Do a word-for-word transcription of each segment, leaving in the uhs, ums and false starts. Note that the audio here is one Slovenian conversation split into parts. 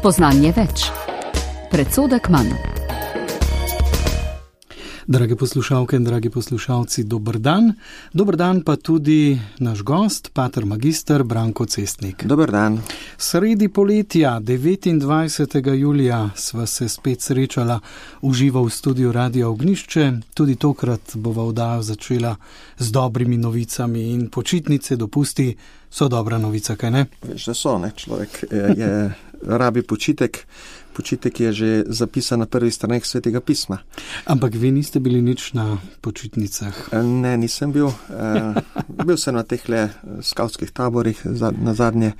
Spoznanje več. Predsodek manj. Drage poslušalke in dragi poslušalci, dober dan. Dober dan pa tudi naš gost, pater magister Branko Cestnik. Dober dan. Sredi poletja, devetindvajsetega julija, sva se spet srečala v živo v studiu Radia Ognjišče. Tudi tokrat bova oddajo začela z dobrimi novicami in počitnice, dopusti so dobra novica, kaj ne? Veš, da so, ne? Človek je, je rabi počitek. Počitek je že zapisan na prvih straneh Svetega pisma. Ampak vi niste bili nič na počitnicah? Ne, nisem bil. Bil sem na tehle skavtskih taborih na zadnje,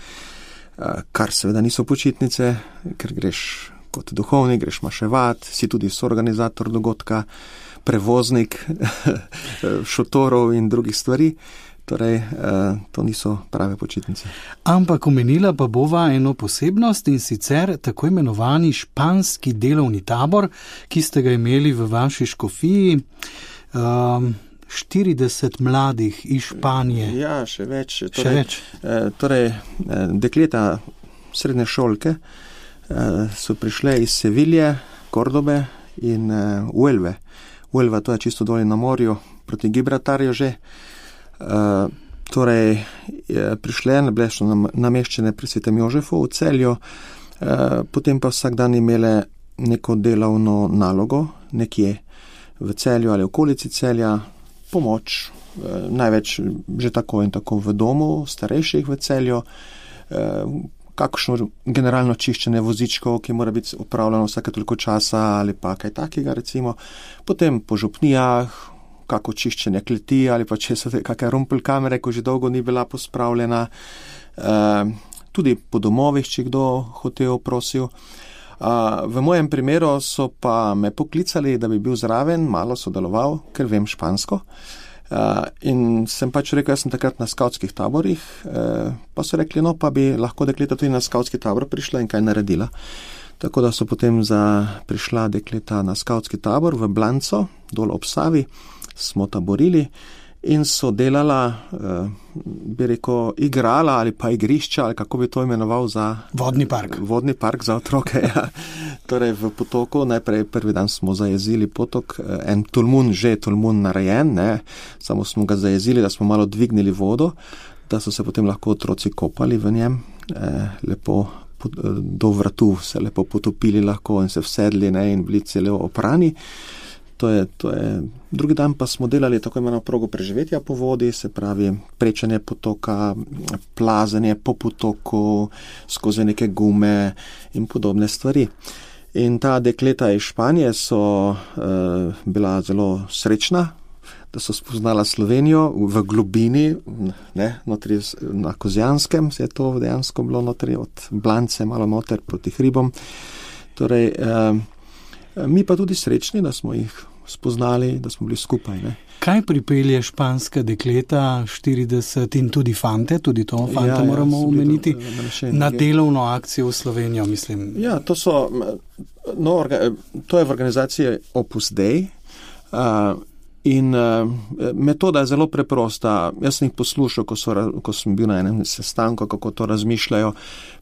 kar seveda niso počitnice, ker greš kot duhovnik, greš maševat, si tudi soorganizator dogodka, prevoznik šotorov in drugih stvari. Torej, to niso prave počitnice. Ampak omenila pa bova eno posebnost in sicer tako imenovani španski delovni tabor, ki ste ga imeli v vaši škofiji, um, štirideset mladih iz Španije. Ja, še več. Torej, še več. Torej, dekleta srednje šolke so prišle iz Sevilje, Kordobe in Huelve. Huelva, to je čisto dolje na morju, proti Gibraltarju že. Uh, torej, prišle, bile so nameščene pri Svetem Jožefu v Celju, uh, potem pa vsak dan imele neko delovno nalogo nekje v Celju ali okolici Celja, pomoč, uh, največ že tako in tako v domu starejših v Celju, uh, kakšno generalno čiščenje vozičkov, ki mora biti opravljeno vsake toliko časa ali pa kaj takega recimo, potem po župnijah, kako čiščenje kleti ali pa če so kakšne rumpelkamere, ko že dolgo ni bila pospravljena, e, tudi po domovih, če kdo hotel, prosil. E, v mojem primeru so pa me poklicali, da bi bil zraven, malo sodeloval, ker vem špansko. E, in sem pač rekel, jaz sem takrat na skavtskih taborih, e, pa so rekli, no pa bi lahko dekleta tudi na skavtski tabor prišla in kaj naredila. Tako da so potem za prišla dekleta na skavtski tabor v Blanco, dol ob Savi, smo taborili in so delala, bi rekel, igrala ali pa igrišča, ali kako bi to imenoval za... Vodni park. Vodni park za otroke, ja. Torej v potoku, najprej prvi dan smo zajezili potok, en tolmun, že tolmun narejen, ne, samo smo ga zajezili, da smo malo dvignili vodo, da so se potem lahko otroci kopali v njem, eh, lepo do vratu se lepo potopili lahko in se vsedli, ne, in bili celo oprani. To je, to je, drugi dan pa smo delali tako imeno progo preživetja po vodi, se pravi prečanje potoka, plazenje po potoku, skozi neke gume in podobne stvari. In ta dekleta iz Španije so uh, bila zelo srečna, da so spoznala Slovenijo v globini, ne, notri na Kozjanskem se je to dejansko bilo notri, od Blance malo noter proti hribom. Torej, uh, mi pa tudi srečni, da smo jih spoznali, da smo bili skupaj. Ne. Kaj pripelje španska dekleta, štirideset in tudi fante, tudi to fante ja, moramo ja, omeniti, to, na delovno akcijo v Slovenijo, mislim? Ja, to so, no, orga, to je v organizaciji Opus Dei uh, in uh, metoda je zelo preprosta. Jaz sem jih poslušal, ko, so, ko sem bil na enem sestanku, kako to razmišljajo,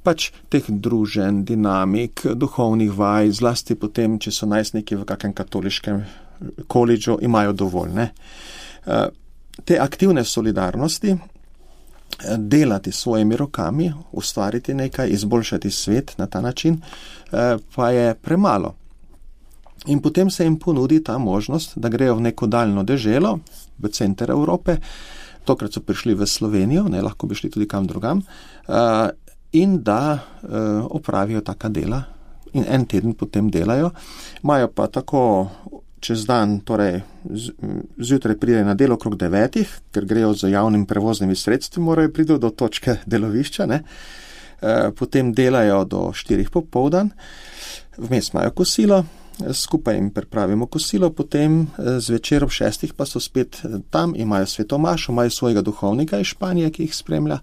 pač teh druženj, dinamik, duhovnih vaj, zlasti potem, če so najstniki v kakem katoliškem koledžu, imajo dovolj. Ne? Te aktivne solidarnosti, delati s svojimi rokami, ustvariti nekaj, izboljšati svet na ta način, pa je premalo. In potem se jim ponudi ta možnost, da grejo v neko daljno deželo, v center Evrope, tokrat so prišli v Slovenijo, ne, lahko bi šli tudi kam drugam, in da opravijo taka dela in en teden potem delajo. Imajo pa tako čez dan, torej zjutraj pridejo na delo okrog devetih, ker grejo z javnim prevoznimi sredstvi, morajo priti do točke delovišča, ne. Potem delajo do štirih popoldan, vmes imajo kosilo, skupaj jim pripravimo kosilo, potem zvečer ob šestih pa so spet tam, imajo svetomašo, imajo svojega duhovnika iz Španije, ki jih spremlja,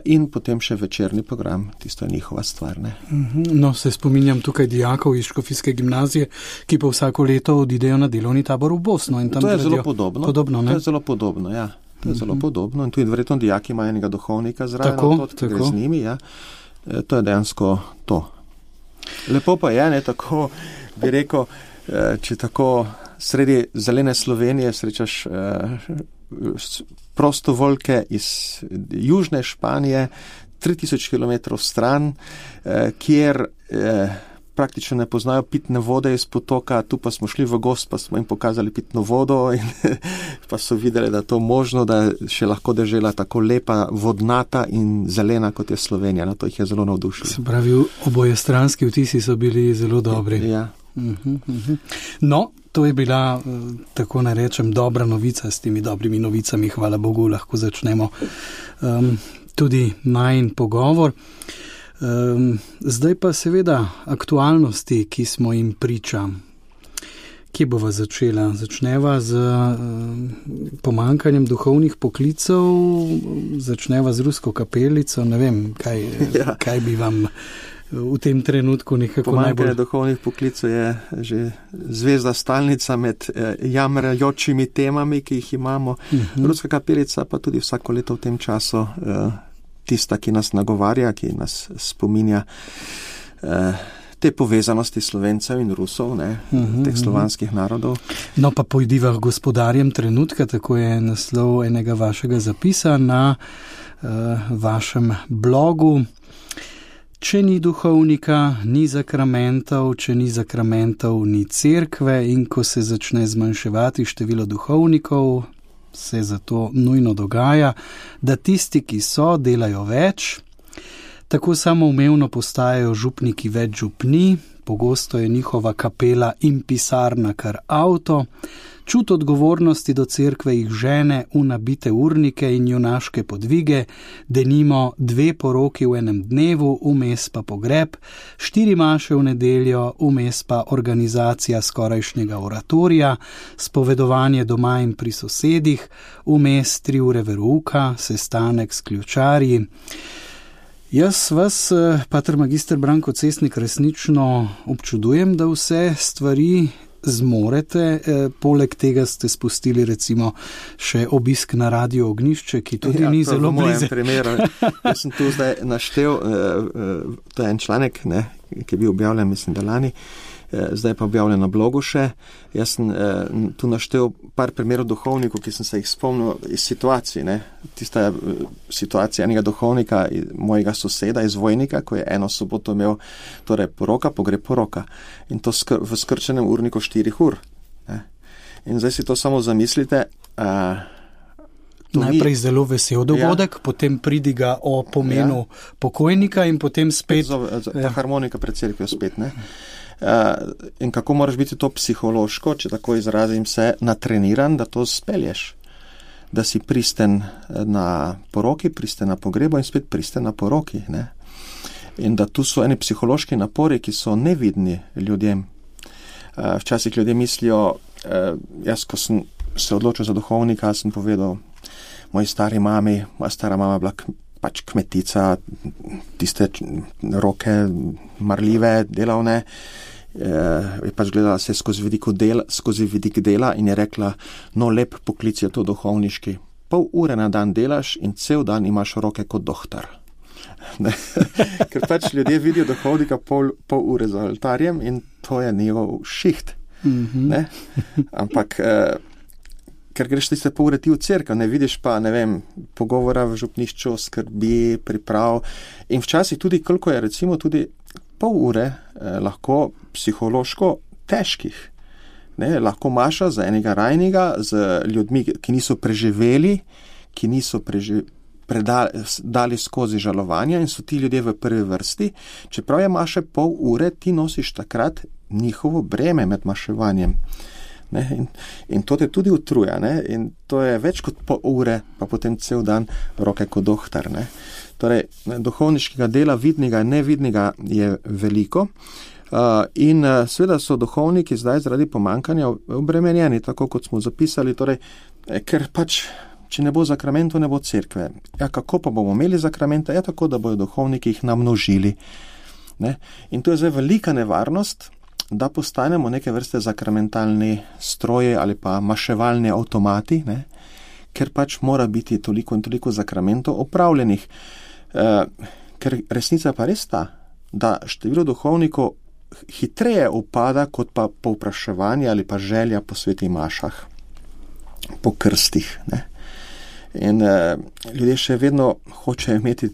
in potem še večerni program, tisto je njihova stvar. Ne? No, se spominjam tukaj dijakov iz Škofijske gimnazije, ki pa vsako leto odidejo na delovni tabor v Bosno. In tam to je zelo podobno. podobno to je zelo podobno, ja. To je zelo uh-huh. podobno in tudi verjetno dijaki imajo enega duhovnika zraven, tako, to, tako. z njimi, ja. To je dejansko to. Lepo pa je, ne, tako bi rekel, če tako sredi zelene Slovenije srečaš prostovoljke iz južne Španije, tri tisoč kilometrov stran, kjer praktično ne poznajo pitne vode iz potoka, tu pa smo šli v gost, pa smo jim pokazali pitno vodo in pa so videli, da je to možno, da še lahko dežela tako lepa, vodnata in zelena, kot je Slovenija. No, to jih je zelo navdušilo. Se pravi, obojestranski vtisi so bili zelo dobri. Ja. Uh-huh, uh-huh. No, to je bila, tako narečem, dobra novica. S temi dobrimi novicami, hvala Bogu, lahko začnemo um, tudi najin pogovor. Um, zdaj pa seveda aktualnosti, ki smo jim priča. Kje bova začela? Začneva z um, pomankanjem duhovnih poklicev, začneva z rusko kapelico, ne vem, kaj, ja. kaj bi vam v tem trenutku nekako pomankanje najbolj... Pomankanje duhovnih poklicev je že zvezda stalnica med eh, jamrajočimi temami, ki jih imamo. Uh-huh. Ruska kapelica pa tudi vsako leto v tem času eh, tista, ki nas nagovarja, ki nas spominja eh, te povezanosti Slovencev in Rusov, ne, uh-huh, teh slovanskih narodov. No pa pojdiva gospodarjem trenutka, tako je naslov enega vašega zapisa na uh, vašem blogu. Če ni duhovnika, ni zakramentov, če ni zakramentov, ni cerkve in ko se začne zmanjševati število duhovnikov, se zato nujno dogaja, da tisti, ki so, delajo več. Tako samoumevno postajajo župniki več župni, pogosto je njihova kapela in pisarna kar avto, čut odgovornosti do cerkve jih žene v nabite urnike in junaške podvige, denimo dve poroki v enem dnevu, vmes pa pogreb, štiri maše v nedeljo, vmes pa organizacija skorajšnjega oratorija, spovedovanje doma in pri sosedih, vmes tri ure verouka, sestanek s ključarji. Jaz vas, pater magister Branko Cesnik, resnično občudujem, da vse stvari zmorete, e, poleg tega ste spustili recimo še obisk na Radio Ognjišče, ki tudi ja, ni zelo blizu. V mojem primeru, jaz sem tu zdaj naštel, e, e, to je en članek, ne, ki je bil objavljen, mislim, da lani, e, zdaj pa objavljen na blogu še. Jaz sem e, tu naštel par primerov duhovnikov, ki sem se jih spomnil iz situacij, ne. Tista situacija enega duhovnika, mojega soseda iz Vojnika, ko je eno soboto imel torej poroka, pogreb poroka. In to skr- v skrčenem urniku štirih ur. Ne. In zdaj si to samo zamislite. Uh, Najprej ni... zelo vesel dogodek, ja. Potem pridiga o pomenu ja. pokojnika in potem spet... Zove, z, ja. harmonika pred cerkvijo spet, ne. Uh, in kako moraš biti to psihološko, če tako izrazim se, natreniran, da to spelješ. Da si pristen na poroki, pristen na pogrebu in spet pristen na poroki. Ne? In da tu so eni psihološki napori, ki so nevidni ljudem. Včasih ljudje mislijo, jaz, ko sem se odločil za duhovnika, sem povedal moji stari mami, moja stara mama bila pač kmetica, tiste roke marljive, delavne, je pač gledala se skozi vidik dela, skozi vidik dela in je rekla, no lep poklic je to duhovniški. Pol ure na dan delaš in cel dan imaš roke kot dohtar. Ker pač ljudje vidijo duhovnika pol, pol ure za oltarjem in to je njegov šiht. Mm-hmm. Ne? Ampak, eh, ker greš tiste pol ure ti v cerkev, ne vidiš pa, ne vem, pogovora v župnišču, skrbi, priprav in včasih tudi, koliko je recimo tudi pol ure eh, lahko psihološko težkih. Ne, lahko maša za enega rajnega, z ljudmi, ki niso preživeli, ki niso preži, predali, dali skozi žalovanja in so ti ljudje v prvi vrsti. Čeprav je maše pol ure, ti nosiš takrat njihovo breme med maševanjem. Ne, in, in to te tudi utruja. Ne, in to je več kot pol ure, pa potem cel dan roke kot dohtar. Ne. Torej, duhovniškega dela, vidnega in nevidnega je veliko. Uh, in uh, seveda so duhovniki zdaj zaradi pomankanja obremenjeni, tako kot smo zapisali, torej, eh, ker pač, če ne bo zakramentov, ne bo cerkve. Ja, kako pa bomo imeli zakramenta? Ja, tako, da bojo duhovniki jih namnožili. Ne? In to je zdaj velika nevarnost, da postanemo neke vrste zakramentalni stroje ali pa maševalni avtomati, ne? Ker pač mora biti toliko in toliko zakramentov opravljenih. Uh, ker resnica pa res ta, da število duhovnikov hitreje upada, kot pa povpraševanje ali pa želja po svetih mašah, po krstih. Ne. In eh, ljudje še vedno hočejo imeti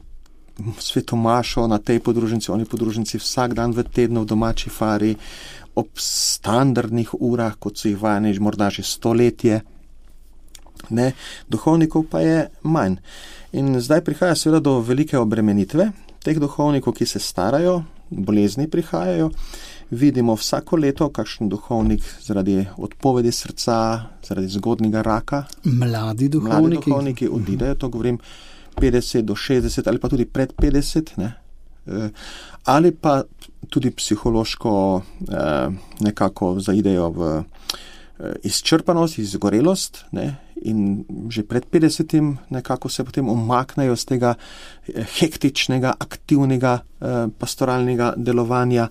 sveto mašo na tej podružnici, oni podružnici vsak dan v tednu v domači fari, ob standardnih urah, kot so jih vajeni morda že stoletje. Ne. Duhovnikov pa je manj. In zdaj prihaja seveda do velike obremenitve teh duhovnikov, ki se starajo, bolezni prihajajo. Vidimo vsako leto, kakšen duhovnik zaradi odpovedi srca, zaradi zgodnjega raka. Mladi duhovniki. Mladi duhovniki odidejo, to govorim petdeset do šestdeset ali pa tudi pred petdeset, ne. Ali pa tudi psihološko nekako zaidejo v izčrpanost, izgorelost, ne, in že pred petdesetim nekako se potem umaknejo z tega hektičnega, aktivnega pastoralnega delovanja.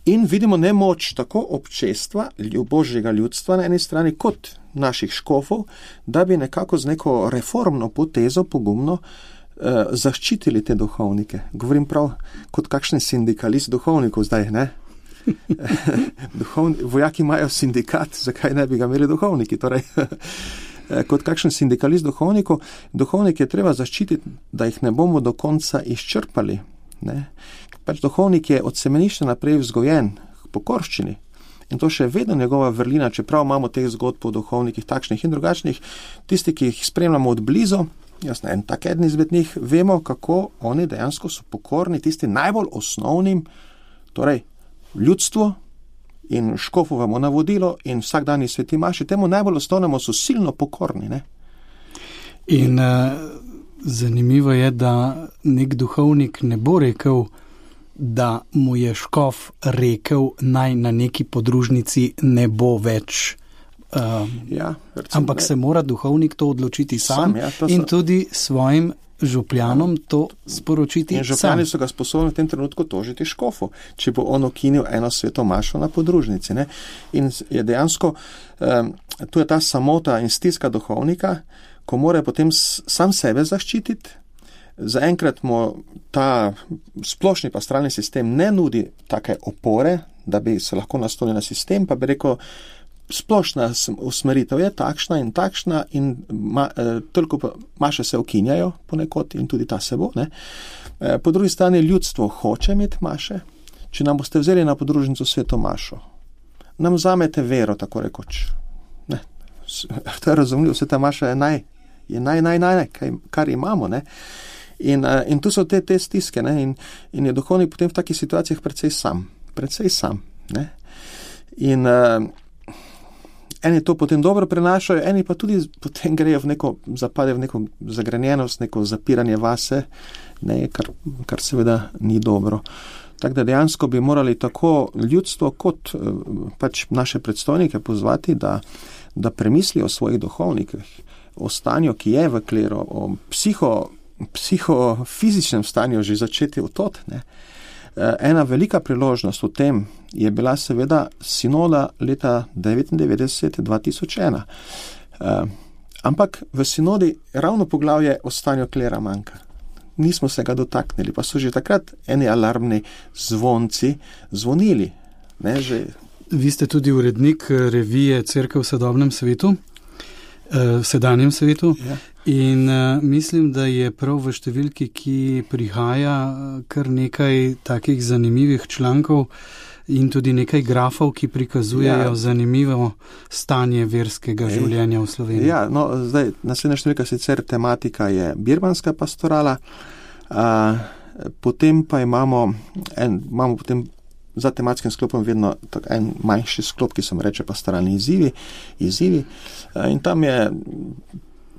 In vidimo nemoč tako občestva, božjega ljudstva na eni strani, kot naših škofov, da bi nekako z neko reformno potezo pogumno zaščitili te duhovnike. Govorim prav kot kakšen sindikalist duhovnikov zdaj, ne? Duhovni, vojaki imajo sindikat, zakaj ne bi ga imeli duhovniki? Torej, kot kakšen sindikalist duhovnikov, duhovnike je treba zaščititi, da jih ne bomo do konca izčrpali. Ne? Pač duhovnik je od semenišča naprej vzgojen k pokorščini. In to še vedno njegova vrlina, čeprav imamo teh zgodb o duhovnikih takšnih in drugačnih, tisti, ki jih spremljamo od blizu, jasno, en tak eden izmed njih, vemo, kako oni dejansko so pokorni tisti najbolj osnovnim, torej ljudstvo in škofovemu navodilo in vsakdanji sveti maši, temu najbolj osnovnemu so silno pokorni. Ne? In uh, zanimivo je, da nek duhovnik ne bo rekel, da mu je škof rekel, naj na neki podružnici ne bo več. Uh, ja, recimo, ampak ne. se mora duhovnik to odločiti sam, sam ja, to in so... tudi svojim župljanom to sporočiti in župljani sam. So ga sposobni v tem trenutku tožiti škofu, če bo on ukinil eno sveto mašo na podružnici. Ne? In je dejansko, um, tu je ta samota in stiska duhovnika, ko mora potem sam sebe zaščititi. Zaenkrat mu ta splošni pastoralni sistem ne nudi take opore, da bi se lahko naslonil na sistem, pa bi rekel, splošna usmeritev je takšna in takšna in ma, eh, toliko pa maše se ukinjajo ponekod in tudi ta se bo. Ne. Eh, po drugi strani ljudstvo hoče imeti maše. Če nam boste vzeli na podružnico sveto mašo, nam vzamete vero, tako rekoč. Ne. To je razumljivo, sveta maša je naj, je naj, naj, naj, naj kar imamo. Ne. In, uh, in tu so te, te stiske, ne, in, in je duhovnik potem v takih situacijah precej sam, precej sam, ne. In uh, eni to potem dobro prenašajo, eni pa tudi potem grejo v neko, zapadejo v neko zagrenjenost, neko zapiranje vase, ne, kar, kar seveda ni dobro. Tako da dejansko bi morali tako ljudstvo kot uh, pač naše predstojnike pozvati, da, da premislijo o svojih duhovnikih, o stanju, ki je v kleru, o psiho psihofizičnem stanju že začeti utot. Ne. Ena velika priložnost v tem je bila seveda sinoda leta devetindevetdeset dva tisoč ena. Ampak v sinodi ravno poglavje o stanju klera manjka. Nismo se ga dotaknili, pa so že takrat eni alarmni zvonci zvonili. Ne, že... Vi ste tudi urednik revije Cerkev v sodobnem svetu, v sedanjem svetu. Ja. In uh, mislim, da je prav v številki, ki prihaja, kar nekaj takih zanimivih člankov in tudi nekaj grafov, ki prikazujejo ja. zanimivo stanje verskega Ej. življenja v Sloveniji. Ja, no, zdaj, naslednja številka sicer tematika je birmanska pastorala, uh, potem pa imamo, en, imamo potem za tematskim sklopom vedno tak, en manjši sklop, ki se mu reče pastoralni izzivi, izzivi uh, in tam je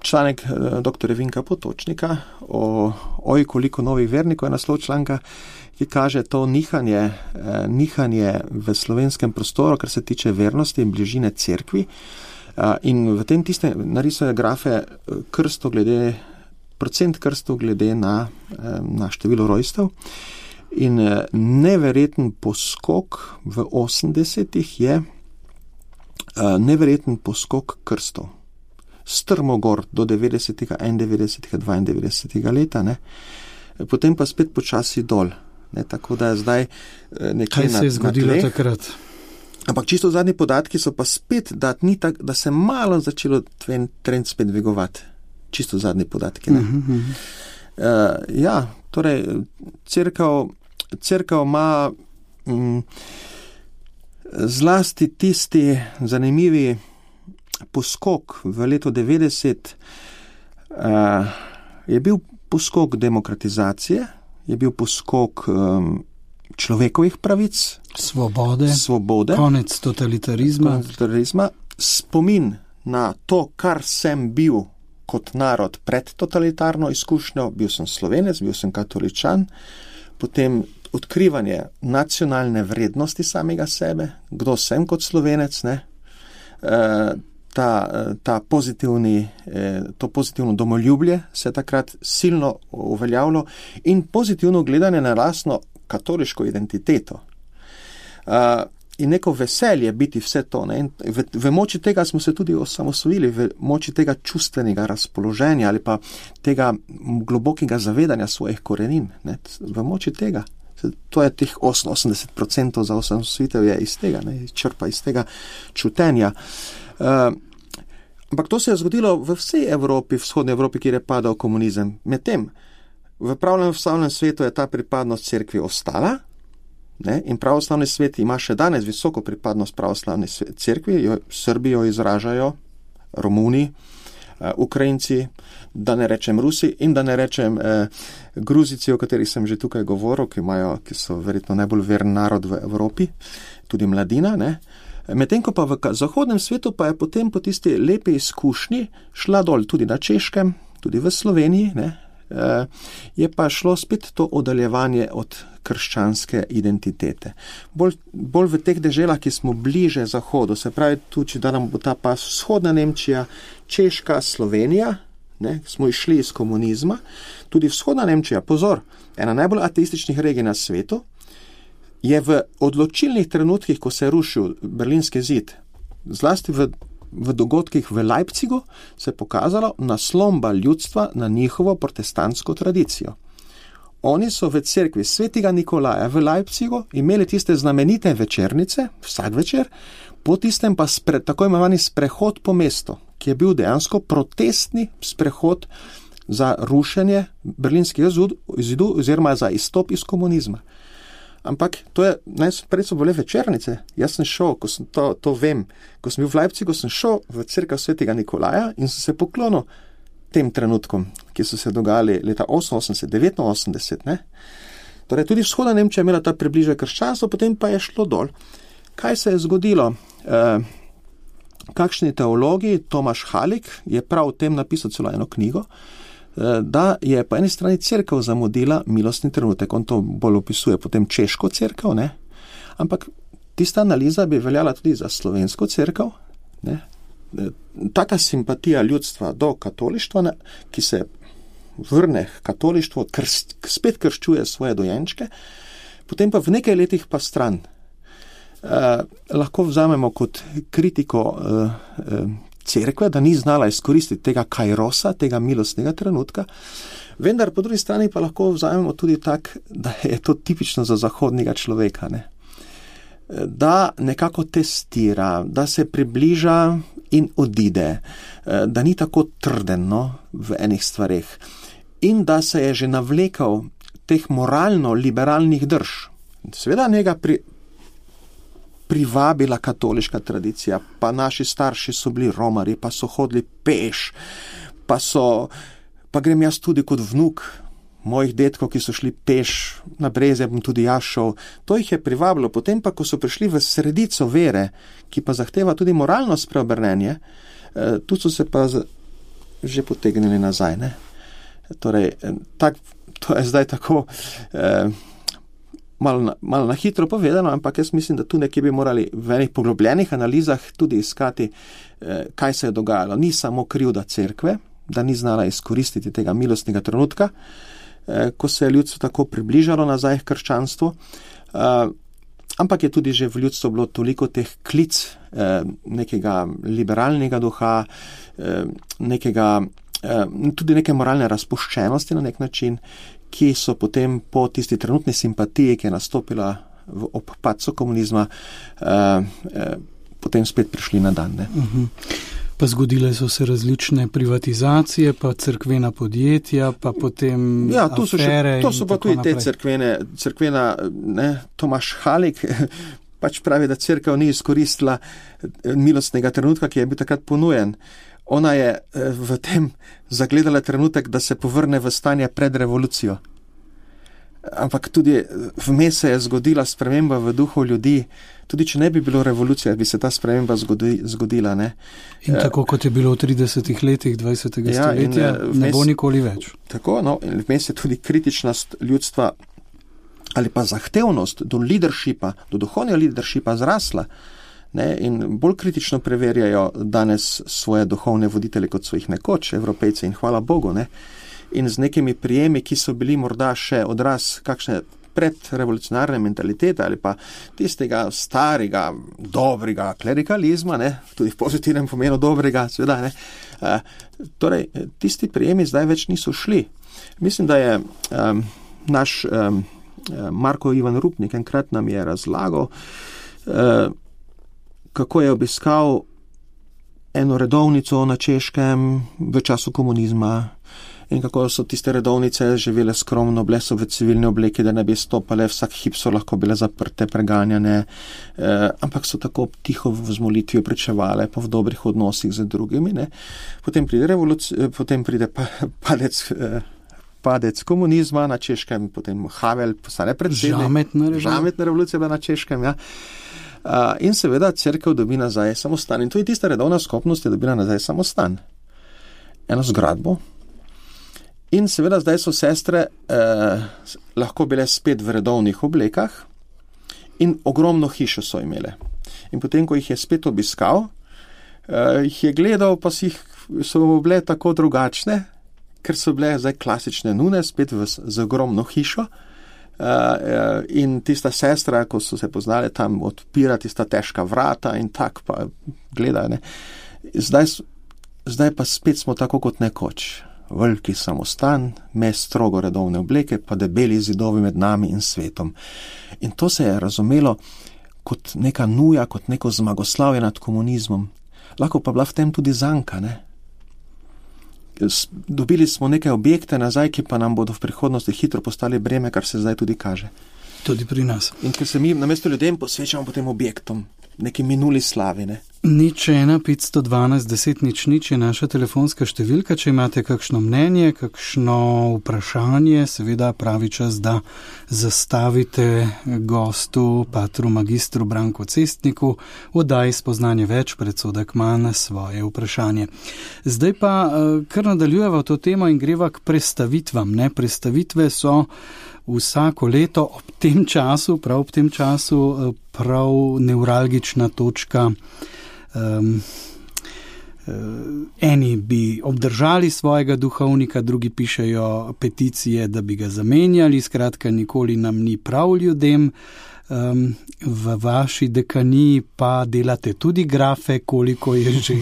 članek doktorja Vinka Potočnika o oj, koliko novih vernikov je naslov članka, ki kaže to nihanje, eh, nihanje v slovenskem prostoru, kar se tiče vernosti in bližine cerkvi. Eh, in v tem tiste narisuje grafe krsto glede, procent krstov glede na, eh, na število rojstev. In eh, neverjeten poskok v osemdesetih je eh, neverjeten poskok krstov. Strmo gor do devetdesetega, enaindevetdesetega, dvaindevetdesetega leta, ne. potem pa spet počasi dol. Ne, tako da je zdaj nekaj. Kaj se je zgodilo takrat? Ampak čisto zadnji podatki so pa spet, da, ni tak, da se malo začelo trend spet dvigovati. Čisto zadnji podatki. Ne? Uh-huh. Uh, ja, torej, cerkev, cerkev ima um, zlasti tisti zanimivi poskok v letu devetdeset, uh, je bil poskok demokratizacije, je bil poskok um, človekovih pravic, svobode, svobode konec totalitarizma. totalitarizma, spomin na to, kar sem bil kot narod pred totalitarno izkušnjo, bil sem Slovenec, bil sem katoličan, potem odkrivanje nacionalne vrednosti samega sebe, kdo sem kot Slovenec, ne, e, ta, ta pozitivni, e, to pozitivno domoljublje se je takrat silno uveljavilo in pozitivno gledanje na lastno katoliško identiteto. Uh, in neko veselje biti vse to. Ne? In v, v moči tega smo se tudi osamosvojili, v moči tega čustvenega razpoloženja ali pa tega globokega zavedanja svojih korenin. Ne? V moči tega. To je teh osemdeset procent za osamosvojitev je iz tega, ne? Črpa iz tega čutenja. Uh, ampak to se je zgodilo v vsej Evropi, vzhodni Evropi, kjer je padal komunizem. Medtem v pravoslavnem svetu je ta pripadnost cerkvi ostala, ne? In pravoslavni svet ima še danes visoko pripadnost pravoslavni cerkvi, jo, Srbi jo izražajo, Romuni, uh, Ukrajinci, da ne rečem Rusi in da ne rečem uh, Gruzici, o katerih sem že tukaj govoril, ki, imajo, ki so verjetno najbolj veren narod v Evropi, tudi mladina, ne? Medtem ko pa v zahodnem svetu pa je potem po tisti lepi izkušnji šla dol tudi na Češkem, tudi v Sloveniji, ne? Je pa šlo spet to oddaljevanje od krščanske identitete. Bolj, bolj v teh deželah, ki smo bliže Zahodu, se pravi tudi, da nam bo ta pa vzhodna Nemčija, Češka, Slovenija, ne, smo išli iz komunizma, tudi vzhodna Nemčija, pozor, ena najbolj ateističnih regij na svetu, je v odločilnih trenutkih, ko se je rušil Berlinski zid, zlasti v v dogodkih v Leipzigu se je pokazalo naslomba ljudstva na njihovo protestantsko tradicijo. Oni so v cerkvi svetega Nikolaja v Leipzigu imeli tiste znamenite večernice, vsak večer, po tistem pa spre, tako imenovani sprehod po mestu, ki je bil dejansko protestni sprehod za rušenje Berlinskega zidu oziroma za izstop iz komunizma. Ampak to je, najprej so bile večernice. Jaz sem šel, ko sem to, to vem, ko sem bil v Leipzigu, sem šel v cerkev svetega Nikolaja in sem se poklonil tem trenutkom, ki so se dogajali leta oseminosemdeset, devetinosemdeset, ne. Torej, tudi vzhodna Nemčija je imela ta približje krščanstvo, potem pa je šlo dol. Kaj se je zgodilo? E, kakšni teologi, Tomaš Halik je prav o tem napisal celo eno knjigo, da je po eni strani cerkev zamudila milostni trenutek, on to bolj opisuje potem češko cerkev, ne? Ampak tista analiza bi veljala tudi za slovensko cerkev, ne? Taka simpatija ljudstva do katolištva, ne? Ki se vrne k katolištvu, krst, spet krščuje svoje dojenčke, potem pa v nekaj letih pa stran. Eh, lahko vzamemo kot kritiko eh, eh, cerkve, da ni znala izkoristiti tega kairosa, tega milostnega trenutka, vendar po drugi strani pa lahko vzamemo tudi tak, da je to tipično za zahodnega človeka, ne? Da nekako testira, da se približa in odide, da ni tako trden, no, v enih stvareh in da se je že navlekal teh moralno-liberalnih drž. Seveda njega pri privabila katoliška tradicija, pa naši starši so bili romari, pa so hodili peš, pa so, pa grem jaz tudi kot vnuk mojih detkov, ki so šli peš na Breze, bom tudi jaz šel. To jih je privabilo. Potem pa, ko so prišli v sredico vere, ki pa zahteva tudi moralno spreobrnenje, eh, tu so se pa z, že potegnili nazaj, ne. Torej, tak, to je zdaj tako eh, Malo na, malo na hitro povedano, ampak jaz mislim, da tu nekje bi morali v enih poglobljenih analizah tudi iskati, eh, kaj se je dogajalo. Ni samo krivda cerkve, da ni znala izkoristiti tega milostnega trenutka, eh, ko se je ljudstvo tako približalo nazaj k krščanstvu, eh, ampak je tudi že v ljudstvu bilo toliko teh klic eh, nekega liberalnega duha, eh, nekega, eh, tudi neke moralne razpuščenosti na nek način, ki so potem po tisti trenutni simpatiji, ki je nastopila v ob padcu komunizma, uh, uh, potem spet prišli na dan. Ne? Uh-huh. Pa zgodile so se različne privatizacije, pa cerkvena podjetja, pa potem ja, to so afere. Še, to so pa tudi naprej. te cerkvene, cerkvena, ne, Tomaš Halik pač pravi, da cerkev ni izkoristila milostnega trenutka, ki je bil takrat ponujen. Ona je v tem zagledala trenutek, da se povrne v stanje pred revolucijo. Ampak tudi vmes se je zgodila sprememba v duhu ljudi. Tudi če ne bi bilo revolucije, bi se ta sprememba zgodi, zgodila. Ne? In tako kot je bilo v tridesetih letih dvajsetega ja, stoletja, in, vmes, ne bo nikoli več. Tako, no, in vmes je tudi kritičnost ljudstva ali pa zahtevnost do leadershipa, do duhovnega leadershipa zrasla. Ne? In bolj kritično preverjajo danes svoje duhovne voditelje, kot so jih nekoč, Evropejci, in hvala Bogu. Ne? In z nekimi prijemi, ki so bili morda še odraz kakšne predrevolucionarne mentalitete ali pa tistega starega, dobrega klerikalizma, ne, tudi v pozitivnem pomenu dobrega, seveda, ne. E, torej, tisti prijemi zdaj več niso šli. Mislim, da je um, naš um, Marko Ivan Rupnik enkrat nam je razlagal, uh, kako je obiskal eno redovnico na Češkem v času komunizma, in kako so tiste redovnice živele skromno, bile so v civilni obleki, da ne bi stopale, vsak hip so lahko bile zaprte, preganjane, eh, ampak so tako tiho v molitvi pričevale, pa v dobrih odnosih z drugimi. Ne. Potem pride revolucija, potem pride pa, padec, eh, padec komunizma na Češkem, potem Havel, postane predsednik. Žametna revolucija. Žametna revolucija bila na Češkem, ja. Uh, in seveda cerkev dobi nazaj samostan. In tudi tista redovna skupnost je dobila nazaj samostan. Eno zgradbo. In seveda zdaj so sestre eh, lahko bile spet v redovnih oblekah in ogromno hišo so imele. In potem, ko jih je spet obiskal, eh, jih je gledal, pa si jih, so bile tako drugačne, ker so bile zdaj klasične nune, spet v, z ogromno hišo. Uh, in tista sestra, ko so se poznali, tam odpira tista težka vrata in tak pa gledajo. Ne. Zdaj, zdaj pa spet smo tako kot nekoč. Veliki samostan, mes strogo redovne obleke, pa debeli zidovi med nami in svetom. In to se je razumelo kot neka nuja, kot neko zmagoslavje nad komunizmom. Lahko pa bila v tem tudi zanka, ne? Dobili smo neke objekte nazaj, ki pa nam bodo v prihodnosti hitro postali breme, kar se zdaj tudi kaže. Tudi pri nas. In ker se mi namesto ljudem posvečamo potem objektom, neki minuli slavi, ne? Nič ena, petsto dvanajst, deset, nič, nič je naša telefonska številka, če imate kakšno mnenje, kakšno vprašanje, seveda pravi čas, da zastavite gostu, patru magistru Branku Cestniku, oddaj spoznanje več, predsodek manj, svoje vprašanje. Zdaj pa kar nadaljujeva to temo in greva k prestavitvam, ne? Prestavitve so vsako leto ob tem času, prav ob tem času, prav nevralgična točka. Um, eni bi obdržali svojega duhovnika, drugi pišejo peticije, da bi ga zamenjali, skratka nikoli nam ni prav ljudem. Um, v vaši dekaniji pa delate tudi grafe, koliko je že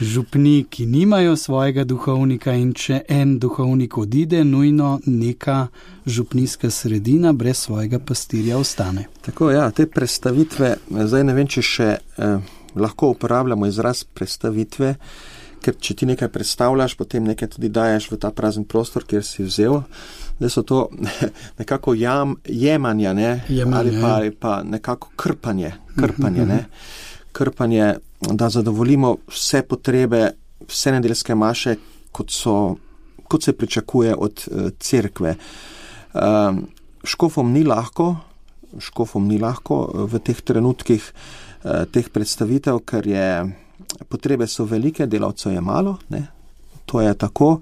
župni, ki nimajo svojega duhovnika, in če en duhovnik odide, nujno neka župnijska sredina brez svojega pastirja ostane. Tako, ja, te prestavitve, zdaj ne vem, če še eh, lahko uporabljamo izraz prestavitve, ker če ti nekaj predstavljaš, potem nekaj tudi daješ v ta prazen prostor, kjer si vzel. Da so to nekako jam, jemanja, ne? Jemanje, ali, pa, ali pa nekako krpanje, krpanje, ne? krpanje, da zadovoljimo vse potrebe, vse nedeljske maše, kot, so, kot se pričakuje od uh, cerkve. Um, škofom ni lahko, škofom ni lahko v teh trenutkih uh, teh predstavitev, ker je, potrebe so velike, delavcev je malo, ne? To je tako.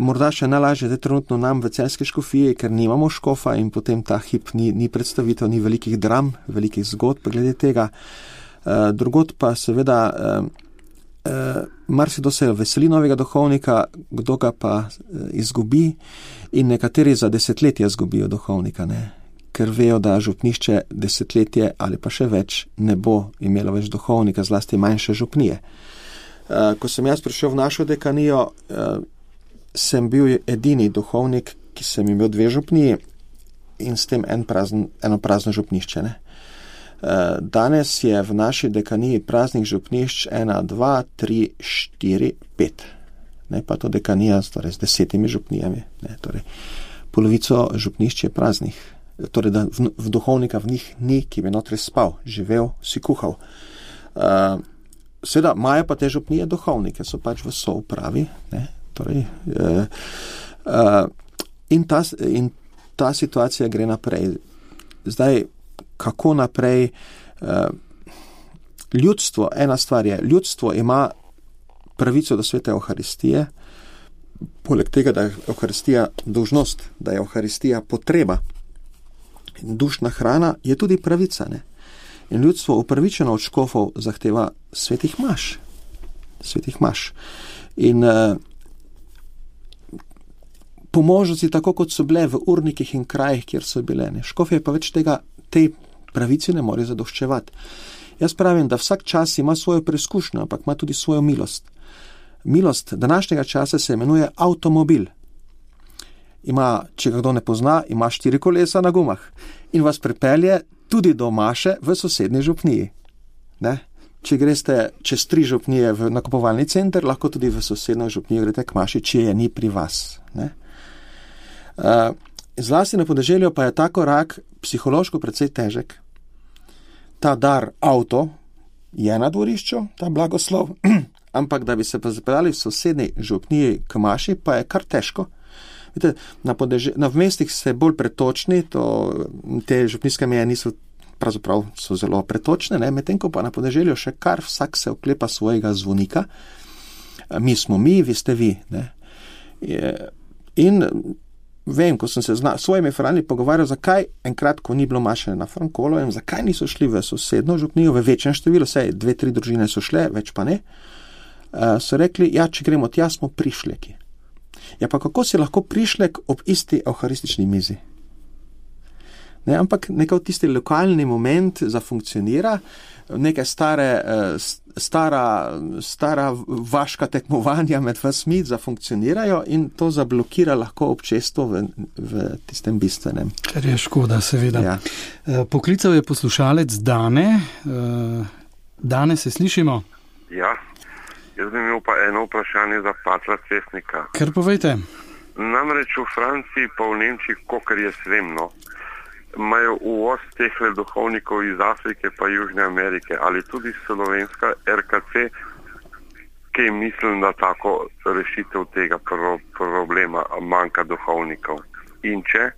Morda še najlažje je trenutno nam v Celjski škofiji, ker nimamo škofa in potem ta hip ni, ni predstavitev, ni velikih dram, velikih zgodb glede tega. Drugod pa seveda marsikdo se veseli novega duhovnika, kdo ga pa izgubi, in nekateri za desetletje izgubijo duhovnika, ne? Ker vejo, da župnišče desetletje ali pa še več ne bo imelo več duhovnika, zlasti manjše župnije. Ko sem jaz prišel v našo dekanijo, sem bil edini duhovnik, ki sem imel dve župniji in s tem en prazen, eno prazno župnišče. Ne? Danes je v naši dekaniji praznih župnišč ena, dva, tri, štiri, pet. Ne, pa to dekanija torej, z desetimi župnijami. Ne, torej, polovico župnišč je praznih. Torej, da v, v duhovnika v njih ni, ki bi notri spal, živel, si kuhal. Uh, Seveda, imajo pa te župnije duhovnike, so pač v soupravi. Ne, torej, uh, uh, in, ta, in ta situacija gre naprej. Zdaj, kako naprej? Uh, ljudstvo, ena stvar je, ljudstvo ima pravico do svete Evharistije, poleg tega, da je Evharistija dolžnost, da je Evharistija potreba in dušna hrana, je tudi pravica. Ne? In ljudstvo upravičeno od škofov zahteva svetih maš. Svetih maš. In uh, po možnosti, tako kot so bile v urnikih in krajih, kjer so bile. Ne? Škofje pa več tega, tej pravici ne more zadoščevati. Jaz pravim, da vsak čas ima svojo preizkušnjo, ampak ima tudi svojo milost. Milost današnjega časa se imenuje avtomobil. Ima, če ga kdo ne pozna, ima štiri kolesa na gumah in vas pripelje tudi do maše v sosednji župniji. Ne? Če greste čez tri župnije v nakupovalni center, lahko tudi v sosednjo župnijo greste k maši, če je ni pri vas. Ne? Uh, zlasti na podeželju pa je ta korak psihološko precej težek. Ta dar avto je na dvorišču, ta blagoslov, ampak da bi se pa zapeljali v sosednji župniji k maši, pa je kar težko. Vidite, na, podeže, na v mestih ste bolj pretočni, to, te župnijske meje niso, pravzaprav so zelo pretočne, ne? Medtem ko pa na podeželju še kar vsak se oklepa svojega zvonika. Mi smo mi, vi ste vi. Ne? In vem, ko sem se s svojimi frani pogovarjal, zakaj enkrat, ko ni bilo maše na Frankolovem, zakaj niso šli v sosedno župnijo, v večjem številu, vsaj dve, tri družine so šle, več pa ne, uh, so rekli, ja, če gremo tja, smo prišleki. Ja, pa kako si lahko prišlek ob isti evharistični mizi? Ne, ampak nekaj tisti lokalni moment zafunkcionira, neke stare, stara, stara vaška tekmovanja med vasmi zafunkcionirajo in to zablokira lahko občestvo v, v tistem bistvenem. Kar je škoda, seveda. Ja. Poklical je poslušalec Dane. Dane, se slišimo? Ja, jaz bi imel pa eno vprašanje za Patra Cesnika. Kar povejte. Namreč v Franciji pa v Nemčiji, kokar je svemno, imajo uvoz teh duhovnikov iz Afrike pa Južne Amerike, ali tudi slovenska R K C, ki mislim, da tako rešitev tega pro- problema manjka duhovnikov. In če,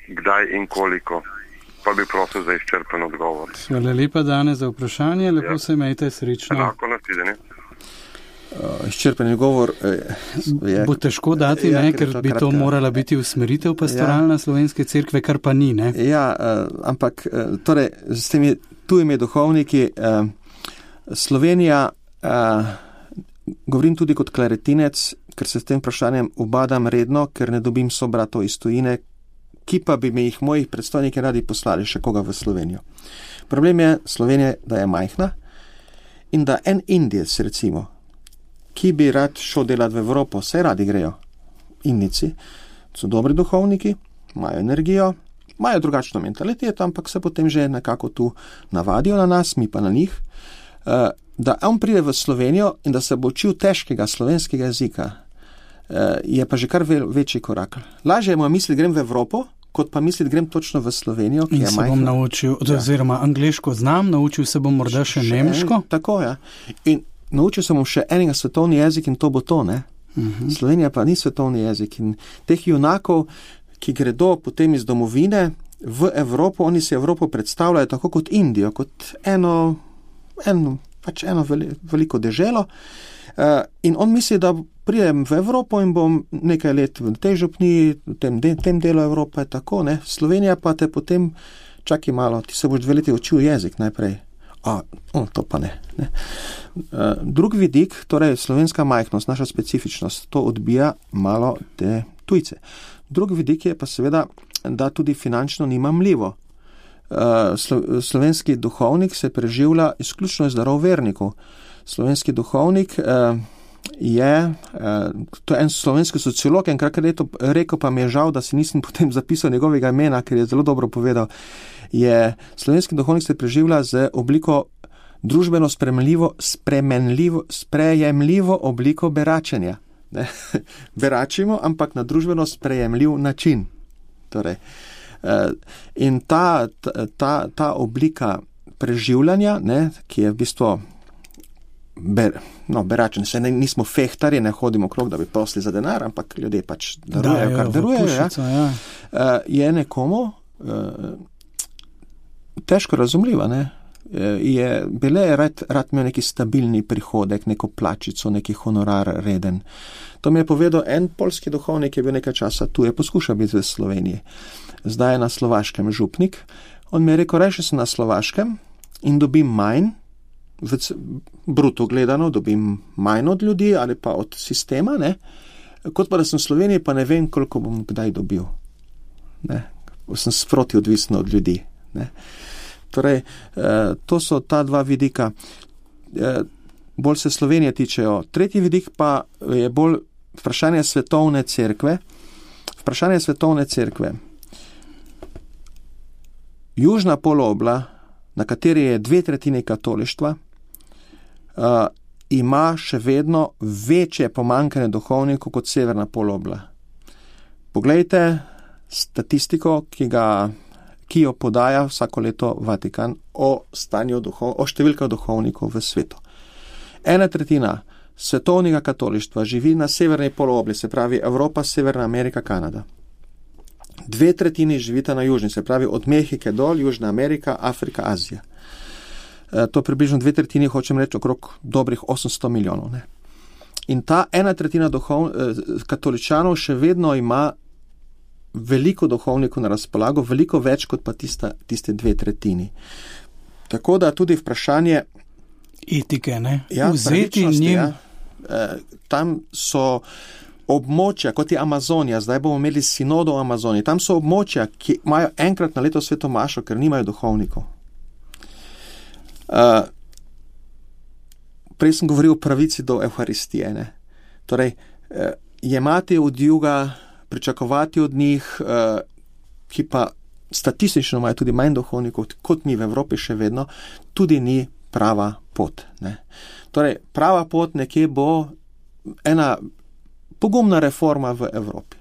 kdaj in koliko, pa bi prosil za izčrpen odgovor. Hvala lepa, Dane, za vprašanje, lepo Ja. se imejte, srečno. Enako nasvidenje. Uh, izčrpen odgovor uh, je... Bo težko dati, Ja, ne, ker je ker to bi to kratka- morala biti usmeritev pastoralna slovenske cerkve, kar pa ni, ne? Ja, uh, ampak uh, torej, s temi tujimi duhovniki uh, Slovenija, uh, govorim tudi kot klaretinec, ker se s tem vprašanjem ubadam redno, ker ne dobim sobratov iz tujine, ki pa bi mi jih mojih predstojniki radi poslali še koga v Slovenijo. Problem je Slovenija, da je majhna in da en Indijec, recimo, ki bi rad šel delati v Evropo, vse radi grejo. Indici so dobri duhovniki, imajo energijo, imajo drugačno mentaliteto, ampak se potem že nekako tu navadijo na nas, mi pa na njih. Da on pride v Slovenijo in da se bo učil težkega slovenskega jezika, je pa že kar večji korak. Lažje mu je misliti, grem v Evropo, kot pa misliti, grem točno v Slovenijo, ki In je se majhna. bom naučil, oziroma angleško znam, naučil se bom morda še nemško. En, tako, ja. In naučil sem še enega svetovni jezik in to bo to, ne? Uh-huh. Slovenija pa ni svetovni jezik in teh junakov, ki gredo potem iz domovine v Evropo, oni si Evropo predstavljajo tako kot Indijo, kot eno, eno, pač eno veli, veliko deželo. Uh, in on misli, da prijem v Evropo in bom nekaj let v tej župniji, v tem, de, tem delu Evrope, tako, ne. Slovenija pa te potem, čakaj malo, ti se boš dve leti učil jezik najprej. A, o, to pa ne. ne. Uh, drug vidik, torej slovenska majhnost, naša specifičnost, to odbija malo te tujce. Drug vidik je pa seveda, da tudi finančno ni mamljivo. Uh, slo, slovenski duhovnik se preživlja izključno iz darov vernikov. Slovenski duhovnik uh, je, to je en slovenski sociolog, enkrat rekel, pa mi je žal, da si nisem potem zapisal njegovega imena, ker je zelo dobro povedal, je slovenski duhovnik se preživlja z obliko družbeno spremljivo, spremenljivo, sprejemljivo obliko beračenja. Ne? Beračimo, ampak na družbeno sprejemljiv način. Torej, in ta, ta, ta oblika preživljanja, ne, ki je v bistvu ber, no, beračen, še ne, nismo fehtari, ne hodimo okrog, da bi prosili za denar, ampak ljudje pač darujejo, kar darujejo, pušico, ja. Ja. Je nekomu težko razumljiva, ne? Je bile rad, rad imel neki stabilni prihodek, neko plačico, neki honorar reden. To mi je povedal en poljski duhovnik, ki je bil nekaj časa tu, je poskušal biti v Sloveniji. Zdaj je na Slovaškem župnik. On mi je rekel, reši se na Slovaškem in dobim manj, v bruto gledano, dobim manj od ljudi ali pa od sistema, ne? Kot pa da sem v Sloveniji, pa ne vem, koliko bom kdaj dobil. Ne? Sem sproti odvisen od ljudi. Ne? Torej, to so ta dva vidika. Bolj se Slovenije tičejo. Tretji vidik pa je bolj vprašanje svetovne cerkve. Vprašanje svetovne cerkve. Južna polobla, na kateri je dve tretjini katolištva, ima še vedno večje pomanjkanje duhovnikov kot severna polobla. Poglejte statistiko, ki ga ki jo podaja vsako leto Vatikan o stanju duhov, o številkah duhovnikov v svetu. Ena tretjina svetovnega katolištva živi na severni polobli, se pravi Evropa, Severna Amerika, Kanada. Dve tretjini živita na južni, se pravi od Mehike dol, Južna Amerika, Afrika, Azija. E, to približno dve tretjini, hočem reči, okrog dobrih osemsto milijonov. Ne? In ta ena tretjina duhov, e, katoličanov še vedno ima veliko duhovnikov na razpolago, veliko več kot pa tista, tiste dve tretjini. Tako da tudi vprašanje etike, ne? Ja, vzeti njim. Ja. E, tam so območja, kot je Amazonija, zdaj bomo imeli sinodo v Amazoniji, tam so območja, ki imajo enkrat na leto svetomašo, ker nimajo duhovnikov. E, prej sem govoril o pravici do Evharistije, ne? Torej, e, jemati od juga, pričakovati od njih, ki pa statistično imajo tudi manj duhovnikov, kot mi v Evropi še vedno, tudi ni prava pot. Ne. Torej, prava pot nekje bo ena pogumna reforma v Evropi.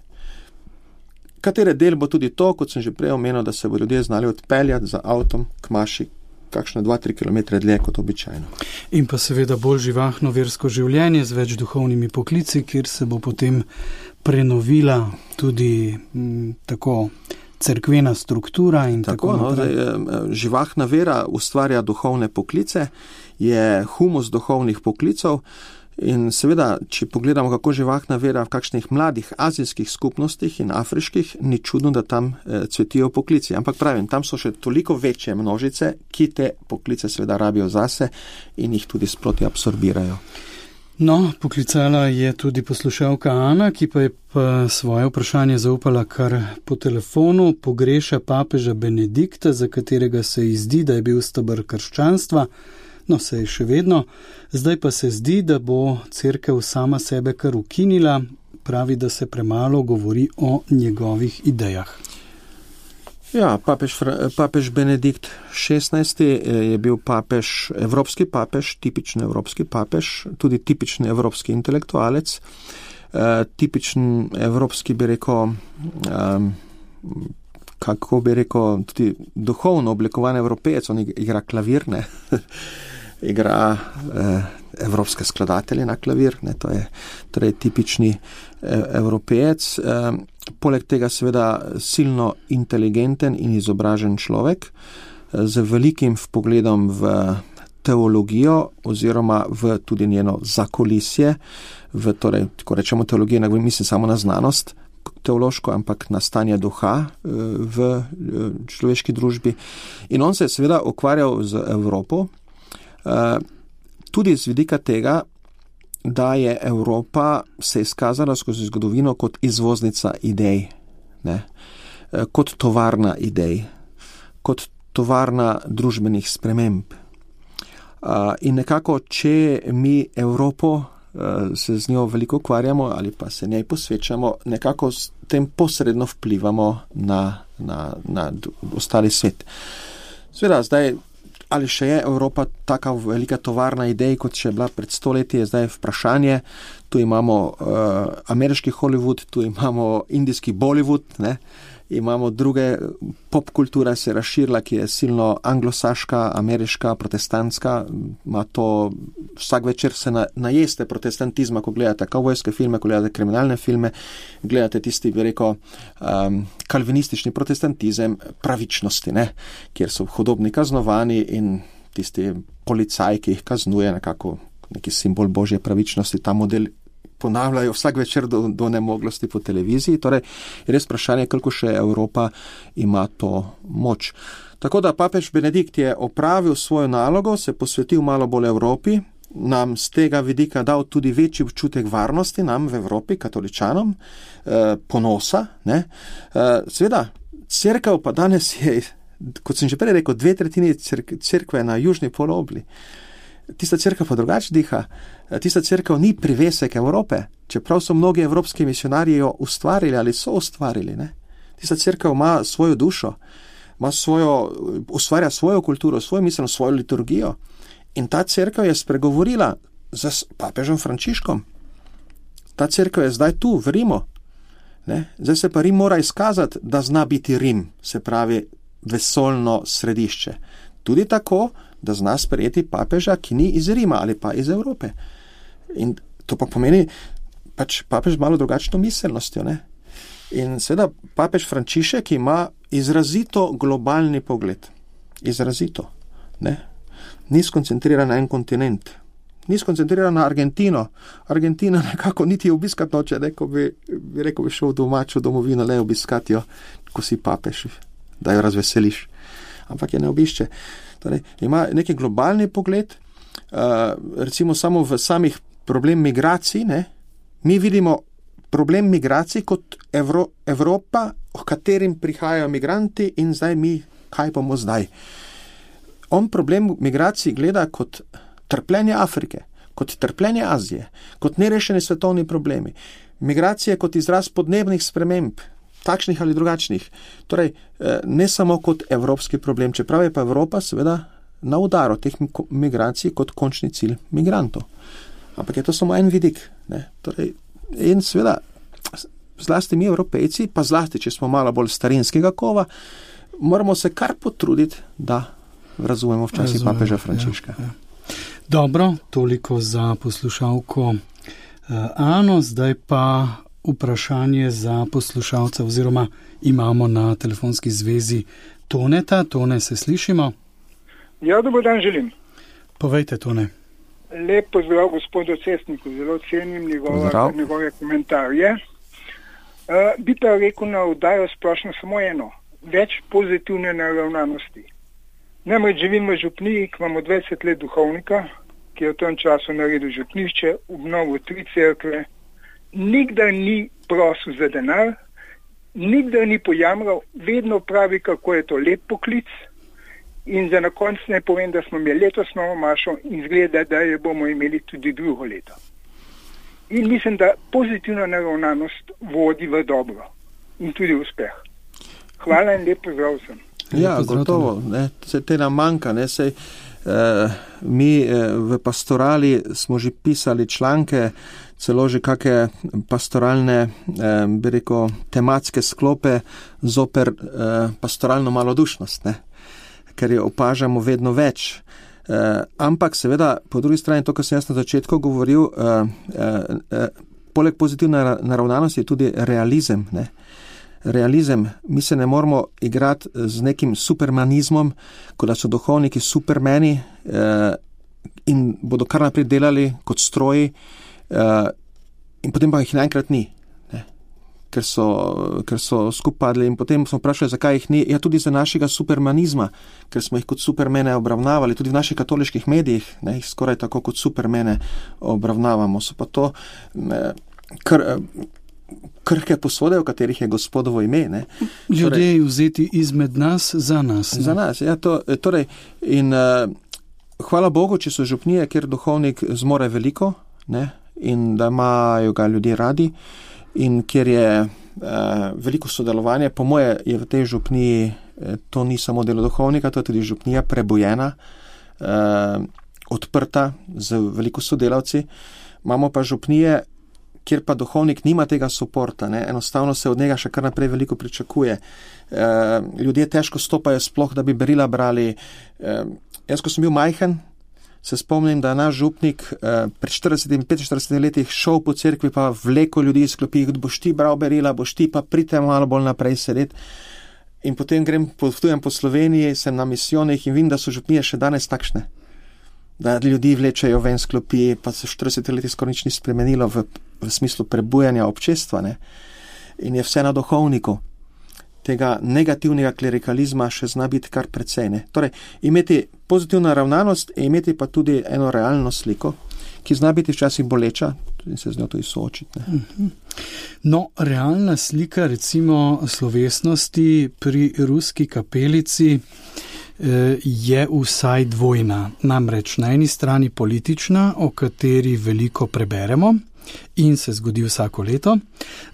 Katere del bo tudi to, kot sem že prej omenil, da se bo ljudje znali odpeljati za avtom k maši kakšne dva tri kilometre dlje kot običajno. In pa seveda bolj živahno versko življenje z več duhovnimi poklici, kjer se bo potem prenovila tudi m, tako cerkvena struktura in tako, tako naprej. No, živahna vera ustvarja duhovne poklice, je humus duhovnih poklicov in seveda, če pogledamo, kako živahna vera v kakšnih mladih azijskih skupnostih in afriških, ni čudno, da tam eh, cvetijo poklici. Ampak pravim, tam so še toliko večje množice, ki te poklice seveda rabijo zase in jih tudi sproti absorbirajo. No, poklicala je tudi poslušalka Ana, ki pa je pa svoje vprašanje zaupala kar po telefonu. Pogreša papeža Benedikta, za katerega se ji zdi, da je bil steber krščanstva. No, se je še vedno. Zdaj pa se zdi, da bo cerkev sama sebe kar ukinila. Pravi, da se premalo govori o njegovih idejah. Ja, papež, papež Benedikt šestnajsti je bil papež, evropski papež, tipični evropski papež, tudi tipični evropski intelektualec, eh, tipičen evropski, bi rekel, eh, kako bi rekel, tudi duhovno oblikovan evropejec, on igra klavir, ne, igra eh, evropske skladatelje na klavir, ne, to je torej tipični eh, evropejec. Eh, Poleg tega seveda silno inteligenten in izobražen človek z velikim vpogledom v teologijo oziroma v tudi njeno zakulisje, v torej, ko rečemo teologija, ne mislim samo na znanost teološko, ampak na stanje duha v človeški družbi. In on se je seveda ukvarjal z Evropo, tudi z vidika tega, da je Evropa se izkazala skozi zgodovino kot izvoznica idej, ne? Kot tovarna idej, kot tovarna družbenih sprememb. In nekako, če mi Evropo se z njo veliko ukvarjamo ali pa se njej posvečamo, nekako s tem posredno vplivamo na, na, na ostali svet. Sveda, zdaj, ali še je Evropa taka velika tovarna idej, kot še je bila pred stoletji, je zdaj vprašanje. Tu imamo uh, ameriški Hollywood, tu imamo indijski Bollywood, ne? Imamo druge, popkultura se je razširila, ki je silno anglosaška, ameriška, protestantska, ima to, vsak večer se na, najeste protestantizma, ko gledate kavbojske filme, ko gledate kriminalne filme, gledate tisti, bi rekel, um, kalvinistični protestantizem pravičnosti, ne? Kjer so hodobni kaznovani in tisti policaj, ki jih kaznuje, nekako neki simbol božje pravičnosti, ta model ponavljajo vsak večer do, do nemoglosti po televiziji. Torej, je res vprašanje, koliko še Evropa ima to moč. Tako da papež Benedikt je opravil svojo nalogo, se posvetil malo bolj Evropi, nam z tega vidika dal tudi večji občutek varnosti, nam v Evropi, katoličanom, eh, ponosa. Ne? Eh, seveda, cerkev pa danes je, kot sem že prej rekel, dve tretjini cerkve na južni polobli. Tista cerkev pa drugače diha. Tista cerkev ni privesek Evrope, čeprav so mnogi evropski misionarji jo ustvarili ali so ustvarili. Ne? Tista cerkev ima svojo dušo, ima svojo, ustvarja svojo kulturo, svojo miselnost, svojo liturgijo. In ta cerkev je spregovorila z papežem Frančiškom. Ta cerkev je zdaj tu, v Rimu. Ne? Zdaj se pa Rim mora izkazati, da zna biti Rim, se pravi vesoljno središče. Tudi tako, da zna sprejeti papeža, ki ni iz Rima ali pa iz Evrope. In to pa pomeni pač papež malo drugačno miselnostjo. Ne? In seveda papež Frančišek ima izrazito globalni pogled. Izrazito. Ne? Ni skoncentriran na en kontinent. Ni skoncentriran na Argentino. Argentina nekako niti obiskat noče, ne? Ko bi, bi rekel, bi šel v domačo domovino, le obiskat jo, ko si papež, da jo razveseliš. Ampak je ne obišče. Torej, ima neki globalni pogled, uh, recimo samo v samih problem migracij, ne? Mi vidimo problem migracij kot Evro, Evropa, v katerim prihajajo migranti in zdaj mi, kaj bomo zdaj? On problem migracij gleda kot trpljenje Afrike, kot trpljenje Azije, kot nerešeni svetovni problemi. Migracije kot izraz podnebnih sprememb, takšnih ali drugačnih. Torej, ne samo kot evropski problem, čeprav je pa Evropa seveda na udaru teh migracij kot končni cilj migrantov. Ampak je to samo en vidik. Ne? Torej, in seveda, zlasti mi Evropejci, pa zlasti, če smo malo bolj starinskega kova, moramo se kar potruditi, da razumemo včasih Razumem, papeža Frančiška. Ja, ja. Dobro, toliko za poslušalko Ano, zdaj pa vprašanje za poslušalca oziroma imamo na telefonski zvezi Toneta. Tone, se slišimo? Ja, dober dan želim. Povejte, Tone. Lep pozdrav gospodu Cestniku, zelo cenim njegove, njegove komentarje. Uh, bi pa rekel na oddajo splošno samo eno, več pozitivne naravnanosti. Namreč živim v župniji, ki imamo dvajset let duhovnika, ki je v tem času naredil župnišče, obnovil tri cerkve, nikdar ni prosil za denar, nikdar ni pojamral, vedno pravi, kako je to lep poklic. In za na konec ne povem, da smo imeli letos novo mašo in zgleda, da jo bomo imeli tudi drugo leto. In mislim, da pozitivna naravnanost vodi v dobro in tudi uspeh. Hvala in lep pozdrav vsem. Ja, gotovo, ne, se te nam manjka, ne, sej, eh, mi eh, v pastorali smo že pisali članke, celo že kakšne pastoralne, eh, bi rekel, tematske sklope zoper eh, pastoralno malodušnost, ne, ker jo opažamo vedno več. Eh, ampak seveda, po drugi strani, to, kar sem jaz na začetku govoril, eh, eh, poleg pozitivne naravnanosti je tudi realizem, ne. Realizem, mi se ne moramo igrati z nekim supermanizmom, kot da so duhovniki supermeni eh, in bodo kar naprej delali kot stroji eh, in potem pa jih naenkrat ni, ne? Ker so, ker so skupadli in potem smo vprašali, zakaj jih ni. Ja, tudi za našega supermanizma, ker smo jih kot supermene obravnavali, tudi v naših katoliških medijih, ne, jih skoraj tako kot supermene obravnavamo. So pa to eh, kar... Eh, krhke posode, v katerih je Gospodovo ime. Ne? Ljudje torej, vzeti izmed nas za nas. Ne? Za nas, ja. To, torej, in uh, hvala Bogu, če so župnije, kjer duhovnik zmore veliko, ne? in da imajo ga ljudje radi in kjer je eh, veliko sodelovanje. Po moje je v tej župniji eh, to ni samo delo duhovnika, to je tudi župnija prebojena, eh, odprta z veliko sodelavci. Imamo pa župnije, kjer pa duhovnik nima tega suporta, ne? Enostavno se od njega še kar naprej veliko pričakuje. E, ljudje težko stopajo sploh, da bi berila brali. E, jaz, ko sem bil majhen, se spomnim, da je naš župnik e, pred štiridesetimi, petinštiridesetimi letih šel po cerkvi pa vleko ljudi iz klopi, boš ti bral berila, boš ti pa prite malo bolj naprej sedeti. In potem grem, potujem po Sloveniji, sem na misijonih in vidim, da so župnije še danes takšne. Da ljudi vlečejo ven z klopi, pa se v štiridesetih letih skoraj nič ni spremenilo v, v smislu prebujanja občestva, ne? In je vse na duhovniku. Tega negativnega klerikalizma še zna biti kar precej, ne? Torej, imeti pozitivno ravnanost in imeti pa tudi eno realno sliko, ki zna biti včasih boleča in se z njo tudi soočiti, ne? No, realna slika recimo slovesnosti pri ruski kapelici je vsaj dvojna. Namreč na eni strani politična, o kateri veliko preberemo in se zgodi vsako leto,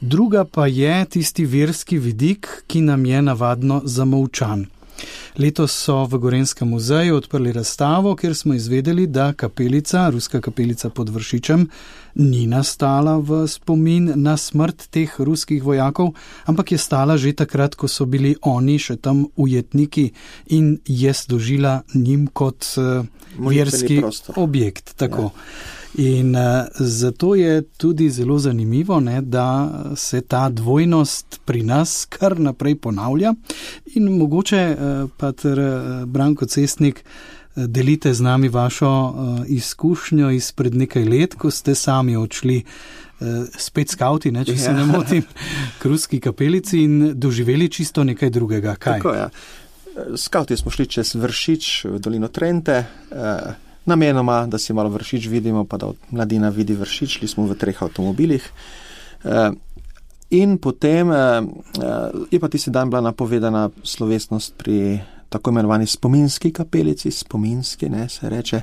druga pa je tisti verski vidik, ki nam je navadno zamolčan. Letos so v Gorenjskem muzeju odprli razstavo, kjer smo izvedeli, da kapelica, ruska kapelica pod Vršičem, ni nastala v spomin na smrt teh ruskih vojakov, ampak je stala že takrat, ko so bili oni še tam ujetniki in je služila njim kot uh, verski objekt. Tako. Ja. In uh, zato je tudi zelo zanimivo, ne, da se ta dvojnost pri nas kar naprej ponavlja in mogoče uh, pa ter uh, Branko Cestnik uh, delite z nami vašo uh, izkušnjo izpred nekaj let, ko ste sami odšli uh, spet skauti, ne, če se ne motim, k ruski kapelici in doživeli čisto nekaj drugega. Kaj? Tako, ja. Skauti smo šli čez Vršič v dolino Trente, uh, namenoma, da si malo Vršič vidimo, pa da mladina vidi Vršič, šli smo v treh avtomobilih. In potem je pa tisti dan bila napovedana slovesnost pri tako imenovani spominski kapelici, spominski, ne, se reče,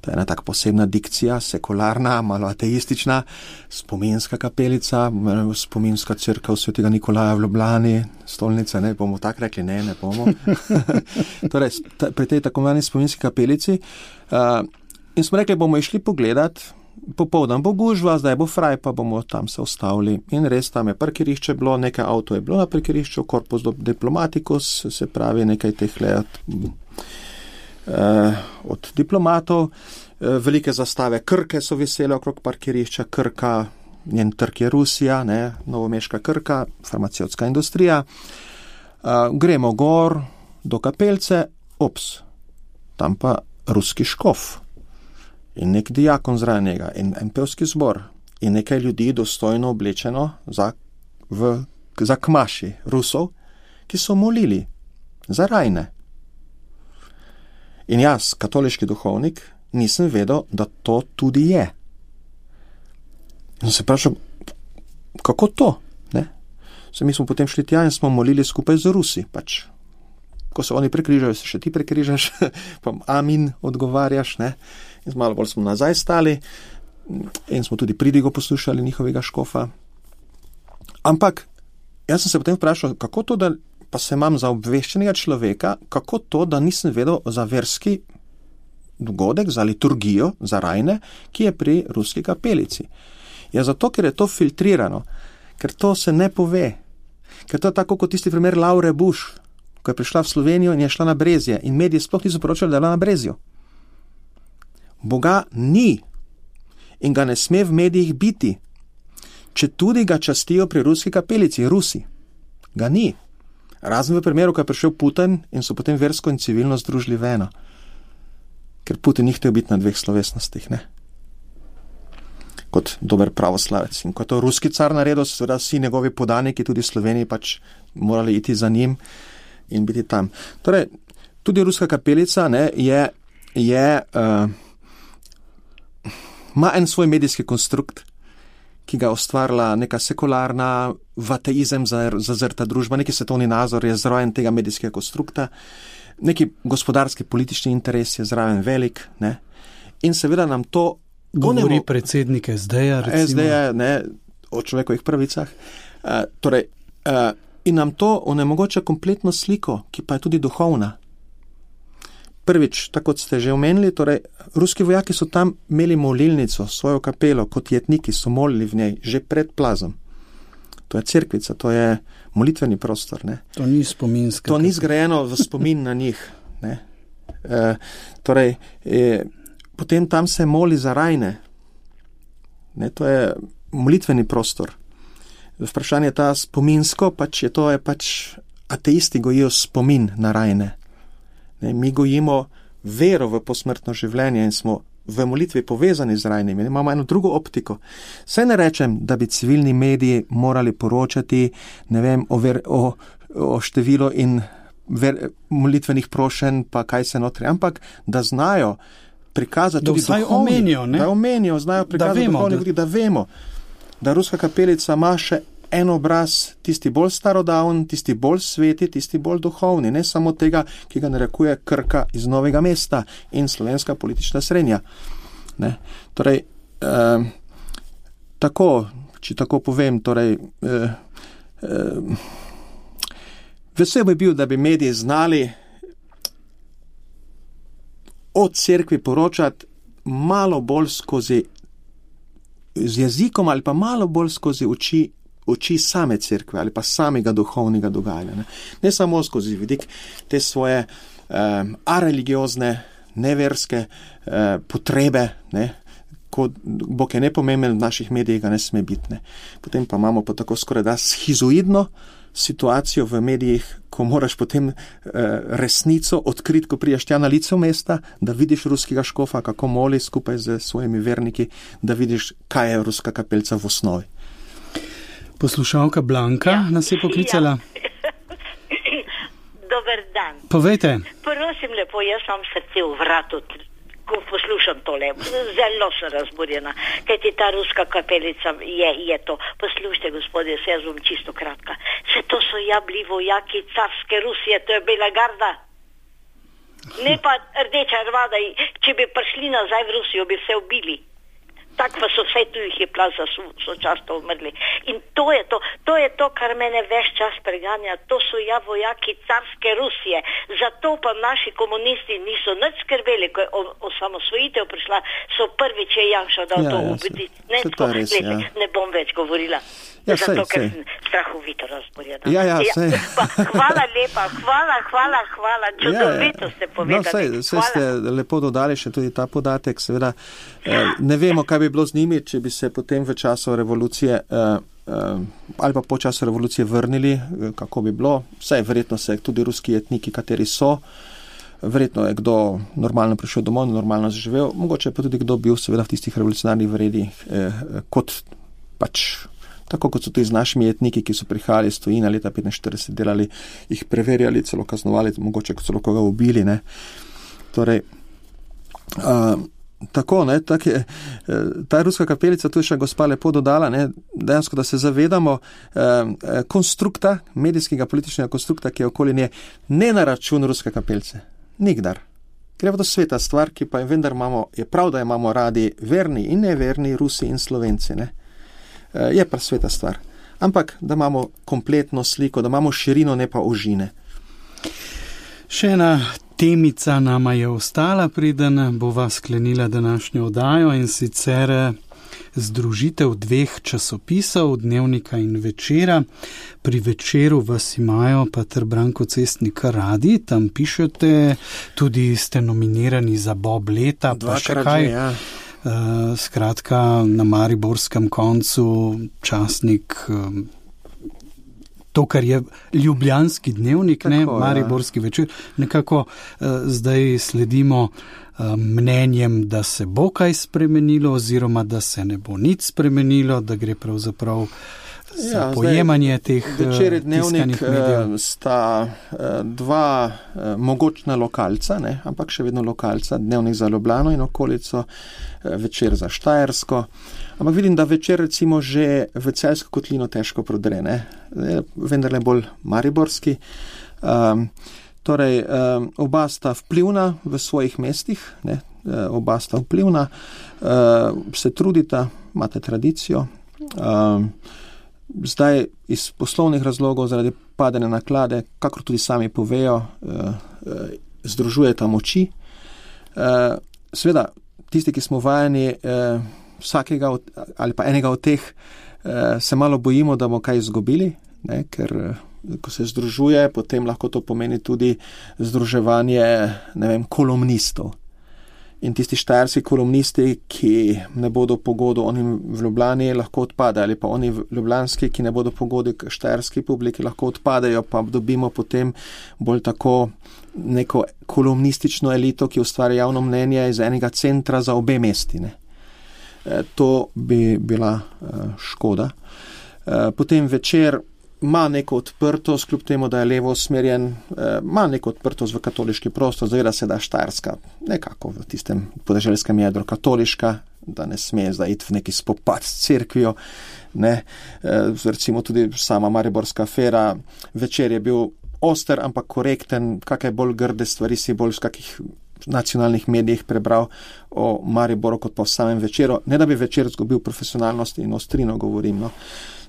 to je ena tak posebna dikcija, sekularna, malo ateistična, spominska kapelica, spominska crkva svetega Nikolaja v Ljubljani, stolnica, ne bomo tak rekli, ne, ne bomo. Torej, pri tej tako imenovani spominski kapelici uh, in smo rekli, bomo išli pogledat, popoldan bo gužva, zdaj bo fraj, pa bomo tam se ustavili. In res tam je parkirišče bilo, nekaj avto je bilo na parkirišču, Corpus Diplomaticus, se pravi nekaj teh let eh, od diplomatov. Eh, velike zastave Krke so vesele okrog parkirišča, Krka, njen trg je Rusija, ne, novomeška Krka, farmacevtska industrija. Eh, gremo gor do kapelce, ops, tam pa ruski škof. In nek diakon zraven njega, in en pevski zbor, in nekaj ljudi dostojno oblečeno za, v, za kmaši Rusov, ki so molili za rajne. In jaz, katoliški duhovnik, nisem vedel, da to tudi je. In se vprašal, kako to? Ne? Se mi smo potem šli tja in smo molili skupaj z Rusi, pač. Ko se oni prekrižajo, se še ti prekrižaš, pa amin odgovarjaš, ne? In malo bolj smo nazaj stali in smo tudi pridigo poslušali njihovega škofa. Ampak jaz sem se potem vprašal, kako to, da pa se imam za obveščenega človeka, kako to, da nisem vedel za verski dogodek, za liturgijo, za rajne, ki je pri ruski kapelici. Ja, zato, ker je to filtrirano, ker to se ne pove, ker to je tako kot tisti primer Laure Bush, ko je prišla v Slovenijo in je šla na Brezje in mediji sploh niso poročali, da je bila na Brezju. Boga ni in ga ne sme v medijih biti, če tudi ga častijo pri ruski kapelici, Rusi. Ga ni. Razen v primeru, ko je prišel Putin in so potem versko in civilno združili v eno. Ker Putin ni hotel biti na dveh slovesnostih, ne? Kot dober pravoslavec. In ko je to ruski car naredil, seveda vsi njegovi podaniki, tudi Sloveniji, pač morali iti za njim in biti tam. Torej, tudi ruska kapelica, ne, je, je uh, ima en svoj medijski konstrukt, ki ga ustvarila neka sekularna, v ateizem zazrta družba, neki svetovni nazor je zraven tega medijskega konstrukta, neki gospodarski politični interes je zraven velik, ne? In seveda nam to Govori mo- predsednik S D-ja, recimo. S D-ja, ne, o človekovih pravicah. Uh, torej, uh, in nam to onemogoča kompletno sliko, ki pa je tudi duhovna. Prvič, tako kot ste že omenili, torej, ruski vojaki so tam imeli molilnico, svojo kapelo, kot jetniki so molili v njej, že pred plazom. To je cerkvica, to je molitveni prostor. Ne. To ni spominska. To ni zgrajeno v spomin na njih. Ne. E, torej, e, potem tam se moli za rajne. Ne, to je molitveni prostor. Vprašanje je ta spominsko, pač je to, je pač ateisti gojijo spomin na rajne. Ne, mi gojimo vero v posmrtno življenje in smo v molitvi povezani z rajnimi. Imamo eno drugo optiko. Saj ne rečem, da bi civilni mediji morali poročati, ne vem, o, ver, o, o številu in ver, molitvenih prošenj, pa kaj se notri, ampak da znajo prikazati da tudi vsaj duhovni, omenijo, ne? Da omenijo, znajo prikazati da vemo, duhovni, da... da vemo, da ruska kapelica ima še en obraz, tisti bolj starodavn, tisti bolj sveti, tisti bolj duhovni, ne samo tega, ki ga narekuje Krka iz Novega mesta in slovenska politična srednja. Ne? Torej, eh, tako, če tako povem, torej, eh, eh, vesel bi bil, da bi mediji znali o cerkvi poročati malo bolj skozi z jezikom ali pa malo bolj skozi oči oči same cerkve ali pa samega duhovnega dogajanja. Ne, ne samo skozi vidik te svoje um, areligiozne, neverske uh, potrebe, ne, ko Bog je nepomemben, v naših medijih ga ne sme biti. Ne. Potem pa imamo pa tako skoraj da schizoidno situacijo v medijih, ko moraš potem uh, resnico odkriti, ko prijaš tja na lice mesta, da vidiš ruskega škofa, kako moli skupaj z svojimi verniki, da vidiš, kaj je ruska kapelca v osnovi. Poslušalka Blanka ja. nas je poklicala. Ja. Dober dan. Povejte. Prosim lepo, jaz imam srce v vratu, ko poslušam tole. Zelo sem razburjena, kajti ta ruska kapelica je, je to. Poslušajte, gospodje, se jaz bom čisto kratka. Se to so ja bili vojaki carske Rusije, to je Bela garda. Ne pa rdeča armada, če bi prišli nazaj v Rusijo, bi se ubili. Tak pa so vse tu jih je plaza, so, so často umrli. In to je to, to je to, kar mene ves čas preganja. To so ja vojaki carske Rusije. Zato pa naši komunisti niso nič skrbeli, ko je osamosvojitev prišla, so prvič je Janša dal ja, to ja, ubiti. Ne, se, se res, ja. ne bom več govorila. Ja, zato, sej, ker sej. sem strahovito razborjena. Ja, ja, ja, pa, hvala lepa, hvala, hvala, hvala. Čudovito ja, ja. ste povedali. No, sej, sej ste lepo dodali še tudi ta podatek. Seveda, eh, ne vemo, kaj bi bilo z njimi, če bi se potem v času revolucije eh, eh, ali pa po času revolucije vrnili, eh, kako bi bilo. Sej, verjetno se tudi ruski etniki, kateri so, verjetno je kdo normalno prišel domov, normalno zaživel, mogoče pa tudi kdo bil seveda v tistih revolucionarnih vredih eh, kot pač tako kot so tudi z našimi etniki, ki so prihajali iz tujine leta petinštirideset, delali, jih preverjali, celo kaznovali, mogoče celo koga ubili. Ne. Torej, uh, tako, ne, tak je, ta ruska kapelica, tu je še gospa lepo dodala, ne, dejansko, da se zavedamo uh, konstrukta, medijskega političnega konstrukta, ki je okoli nje, ne na račun ruske kapelce. Nikdar. Ker je to sveta stvar, ki pa je vendar imamo, je prav, da imamo radi verni in neverni Rusi in Slovenci, ne. Je pa sveta stvar. Ampak, da imamo kompletno sliko, da imamo širino, ne pa ožine. Še ena temica nama je ostala, preden bova sklenila današnjo oddajo, in sicer združitev dveh časopisov, Dnevnika in Večera. Pri Večeru vas imajo pater Branko Cestnik radi, tam pišete, tudi ste nominirani za Bob leta, pa še kaj. Že, ja. Uh, skratka, na mariborskem koncu časnik, um, to, kar je ljubljanski Dnevnik, tako, ne, mariborski ja. Večer, nekako uh, zdaj sledimo uh, mnenjem, da se bo kaj spremenilo oziroma da se ne bo nič spremenilo, da gre pravzaprav za ja, pojemanje zdaj, teh Večer in Dnevnik medijev. Sta dva mogočna lokalca, ne, ampak še vedno lokalca, Dnevnik za Ljubljano in okolico, Večer za Štajersko. Ampak vidim, da Večer recimo že v Celjsko kotlino težko prodre, ne, vendar le bolj mariborski. Um, torej, um, oba sta vplivna v svojih mestih, ne, oba sta vplivna, se trudita, imate tradicijo. Zdaj iz poslovnih razlogov, zaradi padene naklade, kakor tudi sami povejo, združujeta moči. Seveda, tisti, ki smo vajeni vsakega ali pa enega od teh, se malo bojimo, da bomo kaj izgubili, ne, ker ko se združuje, potem lahko to pomeni tudi združevanje, ne vem, kolumnistov. In tisti štajerski kolumnisti, ki ne bodo pogodu onim v Ljubljani, lahko odpadajo, ali pa oni ljubljanski, ki ne bodo pogodu štajerski publiki, lahko odpadajo, pa dobimo potem bolj tako neko kolumnistično elito, ki ustvarja javno mnenje iz enega centra za obe mesti. Ne. E, to bi bila e, škoda. E, potem Večer ima neko odprtost, kljub temu, da je levo usmerjen, eh, ima neko odprtost v katoliški prostor, zaveda se, da je Štajerska nekako v tistem podeželskem jedru katoliška, da ne sme zdaj iti v neki spopad s cerkvijo, ne, eh, recimo tudi sama mariborska afera, Večer je bil oster, ampak korekten, kakaj bolj grde stvari si bolj v kakih nacionalnih medijih prebral o Mariboru kot pa v samem Večeru, ne da bi Večer zgubil profesionalnost in ostrino govorim, no.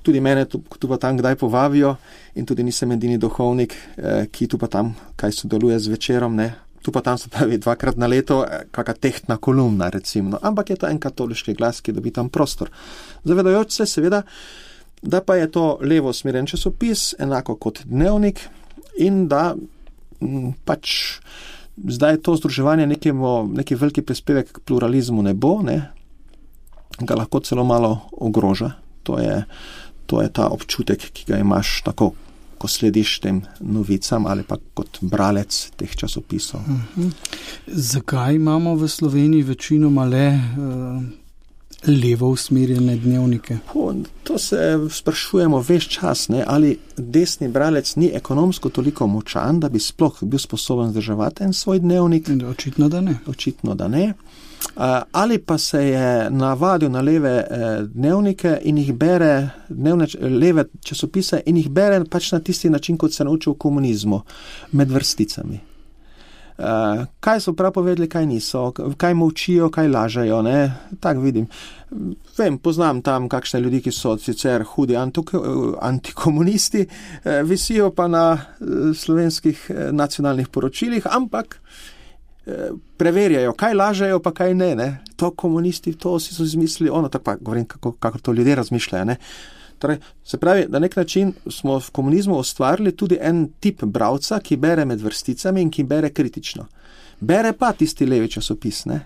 Tudi mene tu, tu pa tam kdaj povabijo in tudi nisem edini duhovnik, eh, ki tu pa tam kaj sodeluje z Večerom, ne. Tu pa tam se pravi dvakrat na leto, eh, kaka tehtna kolumna recimo, no. Ampak je to en katoliški glas, ki dobi tam prostor. Zavedajoč se seveda, da pa je to levo usmerjen časopis, enako kot Dnevnik in da m, pač zdaj to združevanje nekemu, neki veliki prispevek k pluralizmu ne bo, ne, ga lahko celo malo ogroža. To je To je ta občutek, ki ga imaš tako, ko slediš tem novicam ali pa kot bralec teh časopisov. Uh-huh. Zakaj imamo v Sloveniji večinoma le uh, levo usmerjene dnevnike? Po, to se sprašujemo ves čas, ne, ali desni bralec ni ekonomsko toliko močan, da bi sploh bil sposoben zdrževati en svoj dnevnik. Očitno, da ne. Očitno, da ne. Ali pa se je navadil na leve dnevnike in jih bere, dnevne, leve časopise in jih bere pač na tisti način, kot se naučil v komunizmu, med vrsticami. Kaj so prav povedali, kaj niso, kaj molčijo, kaj lažejo, ne, tak vidim. Vem, poznam tam kakšne ljudi, ki so sicer hudi antikomunisti, visijo pa na slovenskih nacionalnih poročilih, ampak preverjajo, kaj lažejo, pa kaj ne, ne. To komunisti, to si so izmislili, ono, tako pa govorim, kako, kako to ljudje razmišljajo, ne. Torej, se pravi, na nek način smo v komunizmu ustvarili tudi en tip bralca, ki bere med vrsticami in ki bere kritično. Bere pa tisti levi časopis, ne.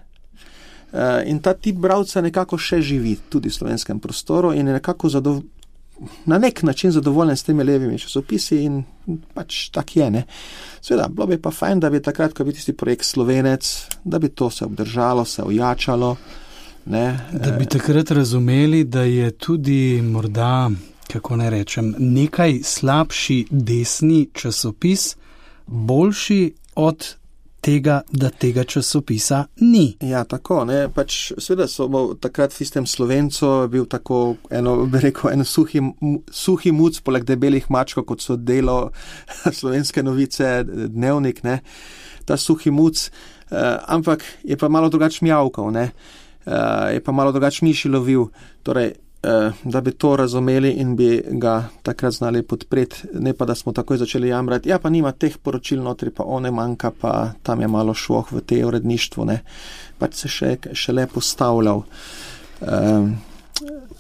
In ta tip bralca nekako še živi tudi v slovenskem prostoru in je nekako zadov... na nek način zadovoljen s temi levimi časopisi in pač tak je, ne. Seveda, bilo bi pa fajn, da bi takrat, ko bi tisti projekt Slovenec, da bi to se obdržalo, se ojačalo, ne. Da bi takrat razumeli, da je tudi morda, kako ne rečem, nekaj slabši desni časopis boljši od tega, da tega časopisa ni. Ja, tako, ne, pač seveda so takrat v istem Slovencu bil tako, eno, bi rekel, eno suhi, suhi muc poleg debelih mačkov, kot so Delo, Slovenske novice, Dnevnik, ne, ta suhi muc, eh, ampak je pa malo drugač mjavkal, ne, eh, je pa malo drugač miši lovil, torej, eh, da bi to razumeli in bi ga takrat znali podpreti, ne pa da smo takoj začeli jamrati, ja pa nima teh poročil notri, pa one manjka, pa tam je malo švoh v tej uredništvu, ne, pač se še, še le postavljal. Eh,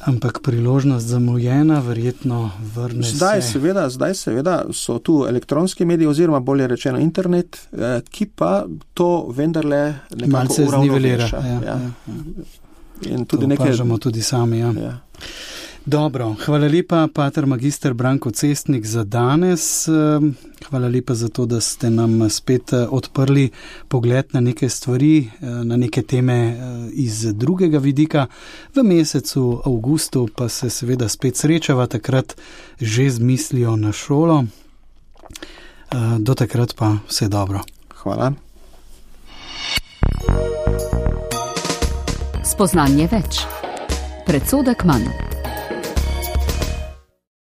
Ampak priložnost zamujena, verjetno vrne zdaj, se. Seveda, zdaj seveda so tu elektronski mediji oziroma bolje rečeno internet, eh, ki pa to vendarle nekako uravnoveša. Ja, ja. Ja. In tudi to nekaj... opažamo tudi sami, ja. Ja. Dobro, hvala lepa, pater magister Branko Cestnik za danes. Hvala lepa za to, da ste nam spet odprli pogled na neke stvari, na neke teme iz drugega vidika. V mesecu avgustu pa se seveda spet srečava, takrat že z mislijo na šolo. Do takrat pa vse dobro. Hvala. Spoznanje več. Predsodek manj.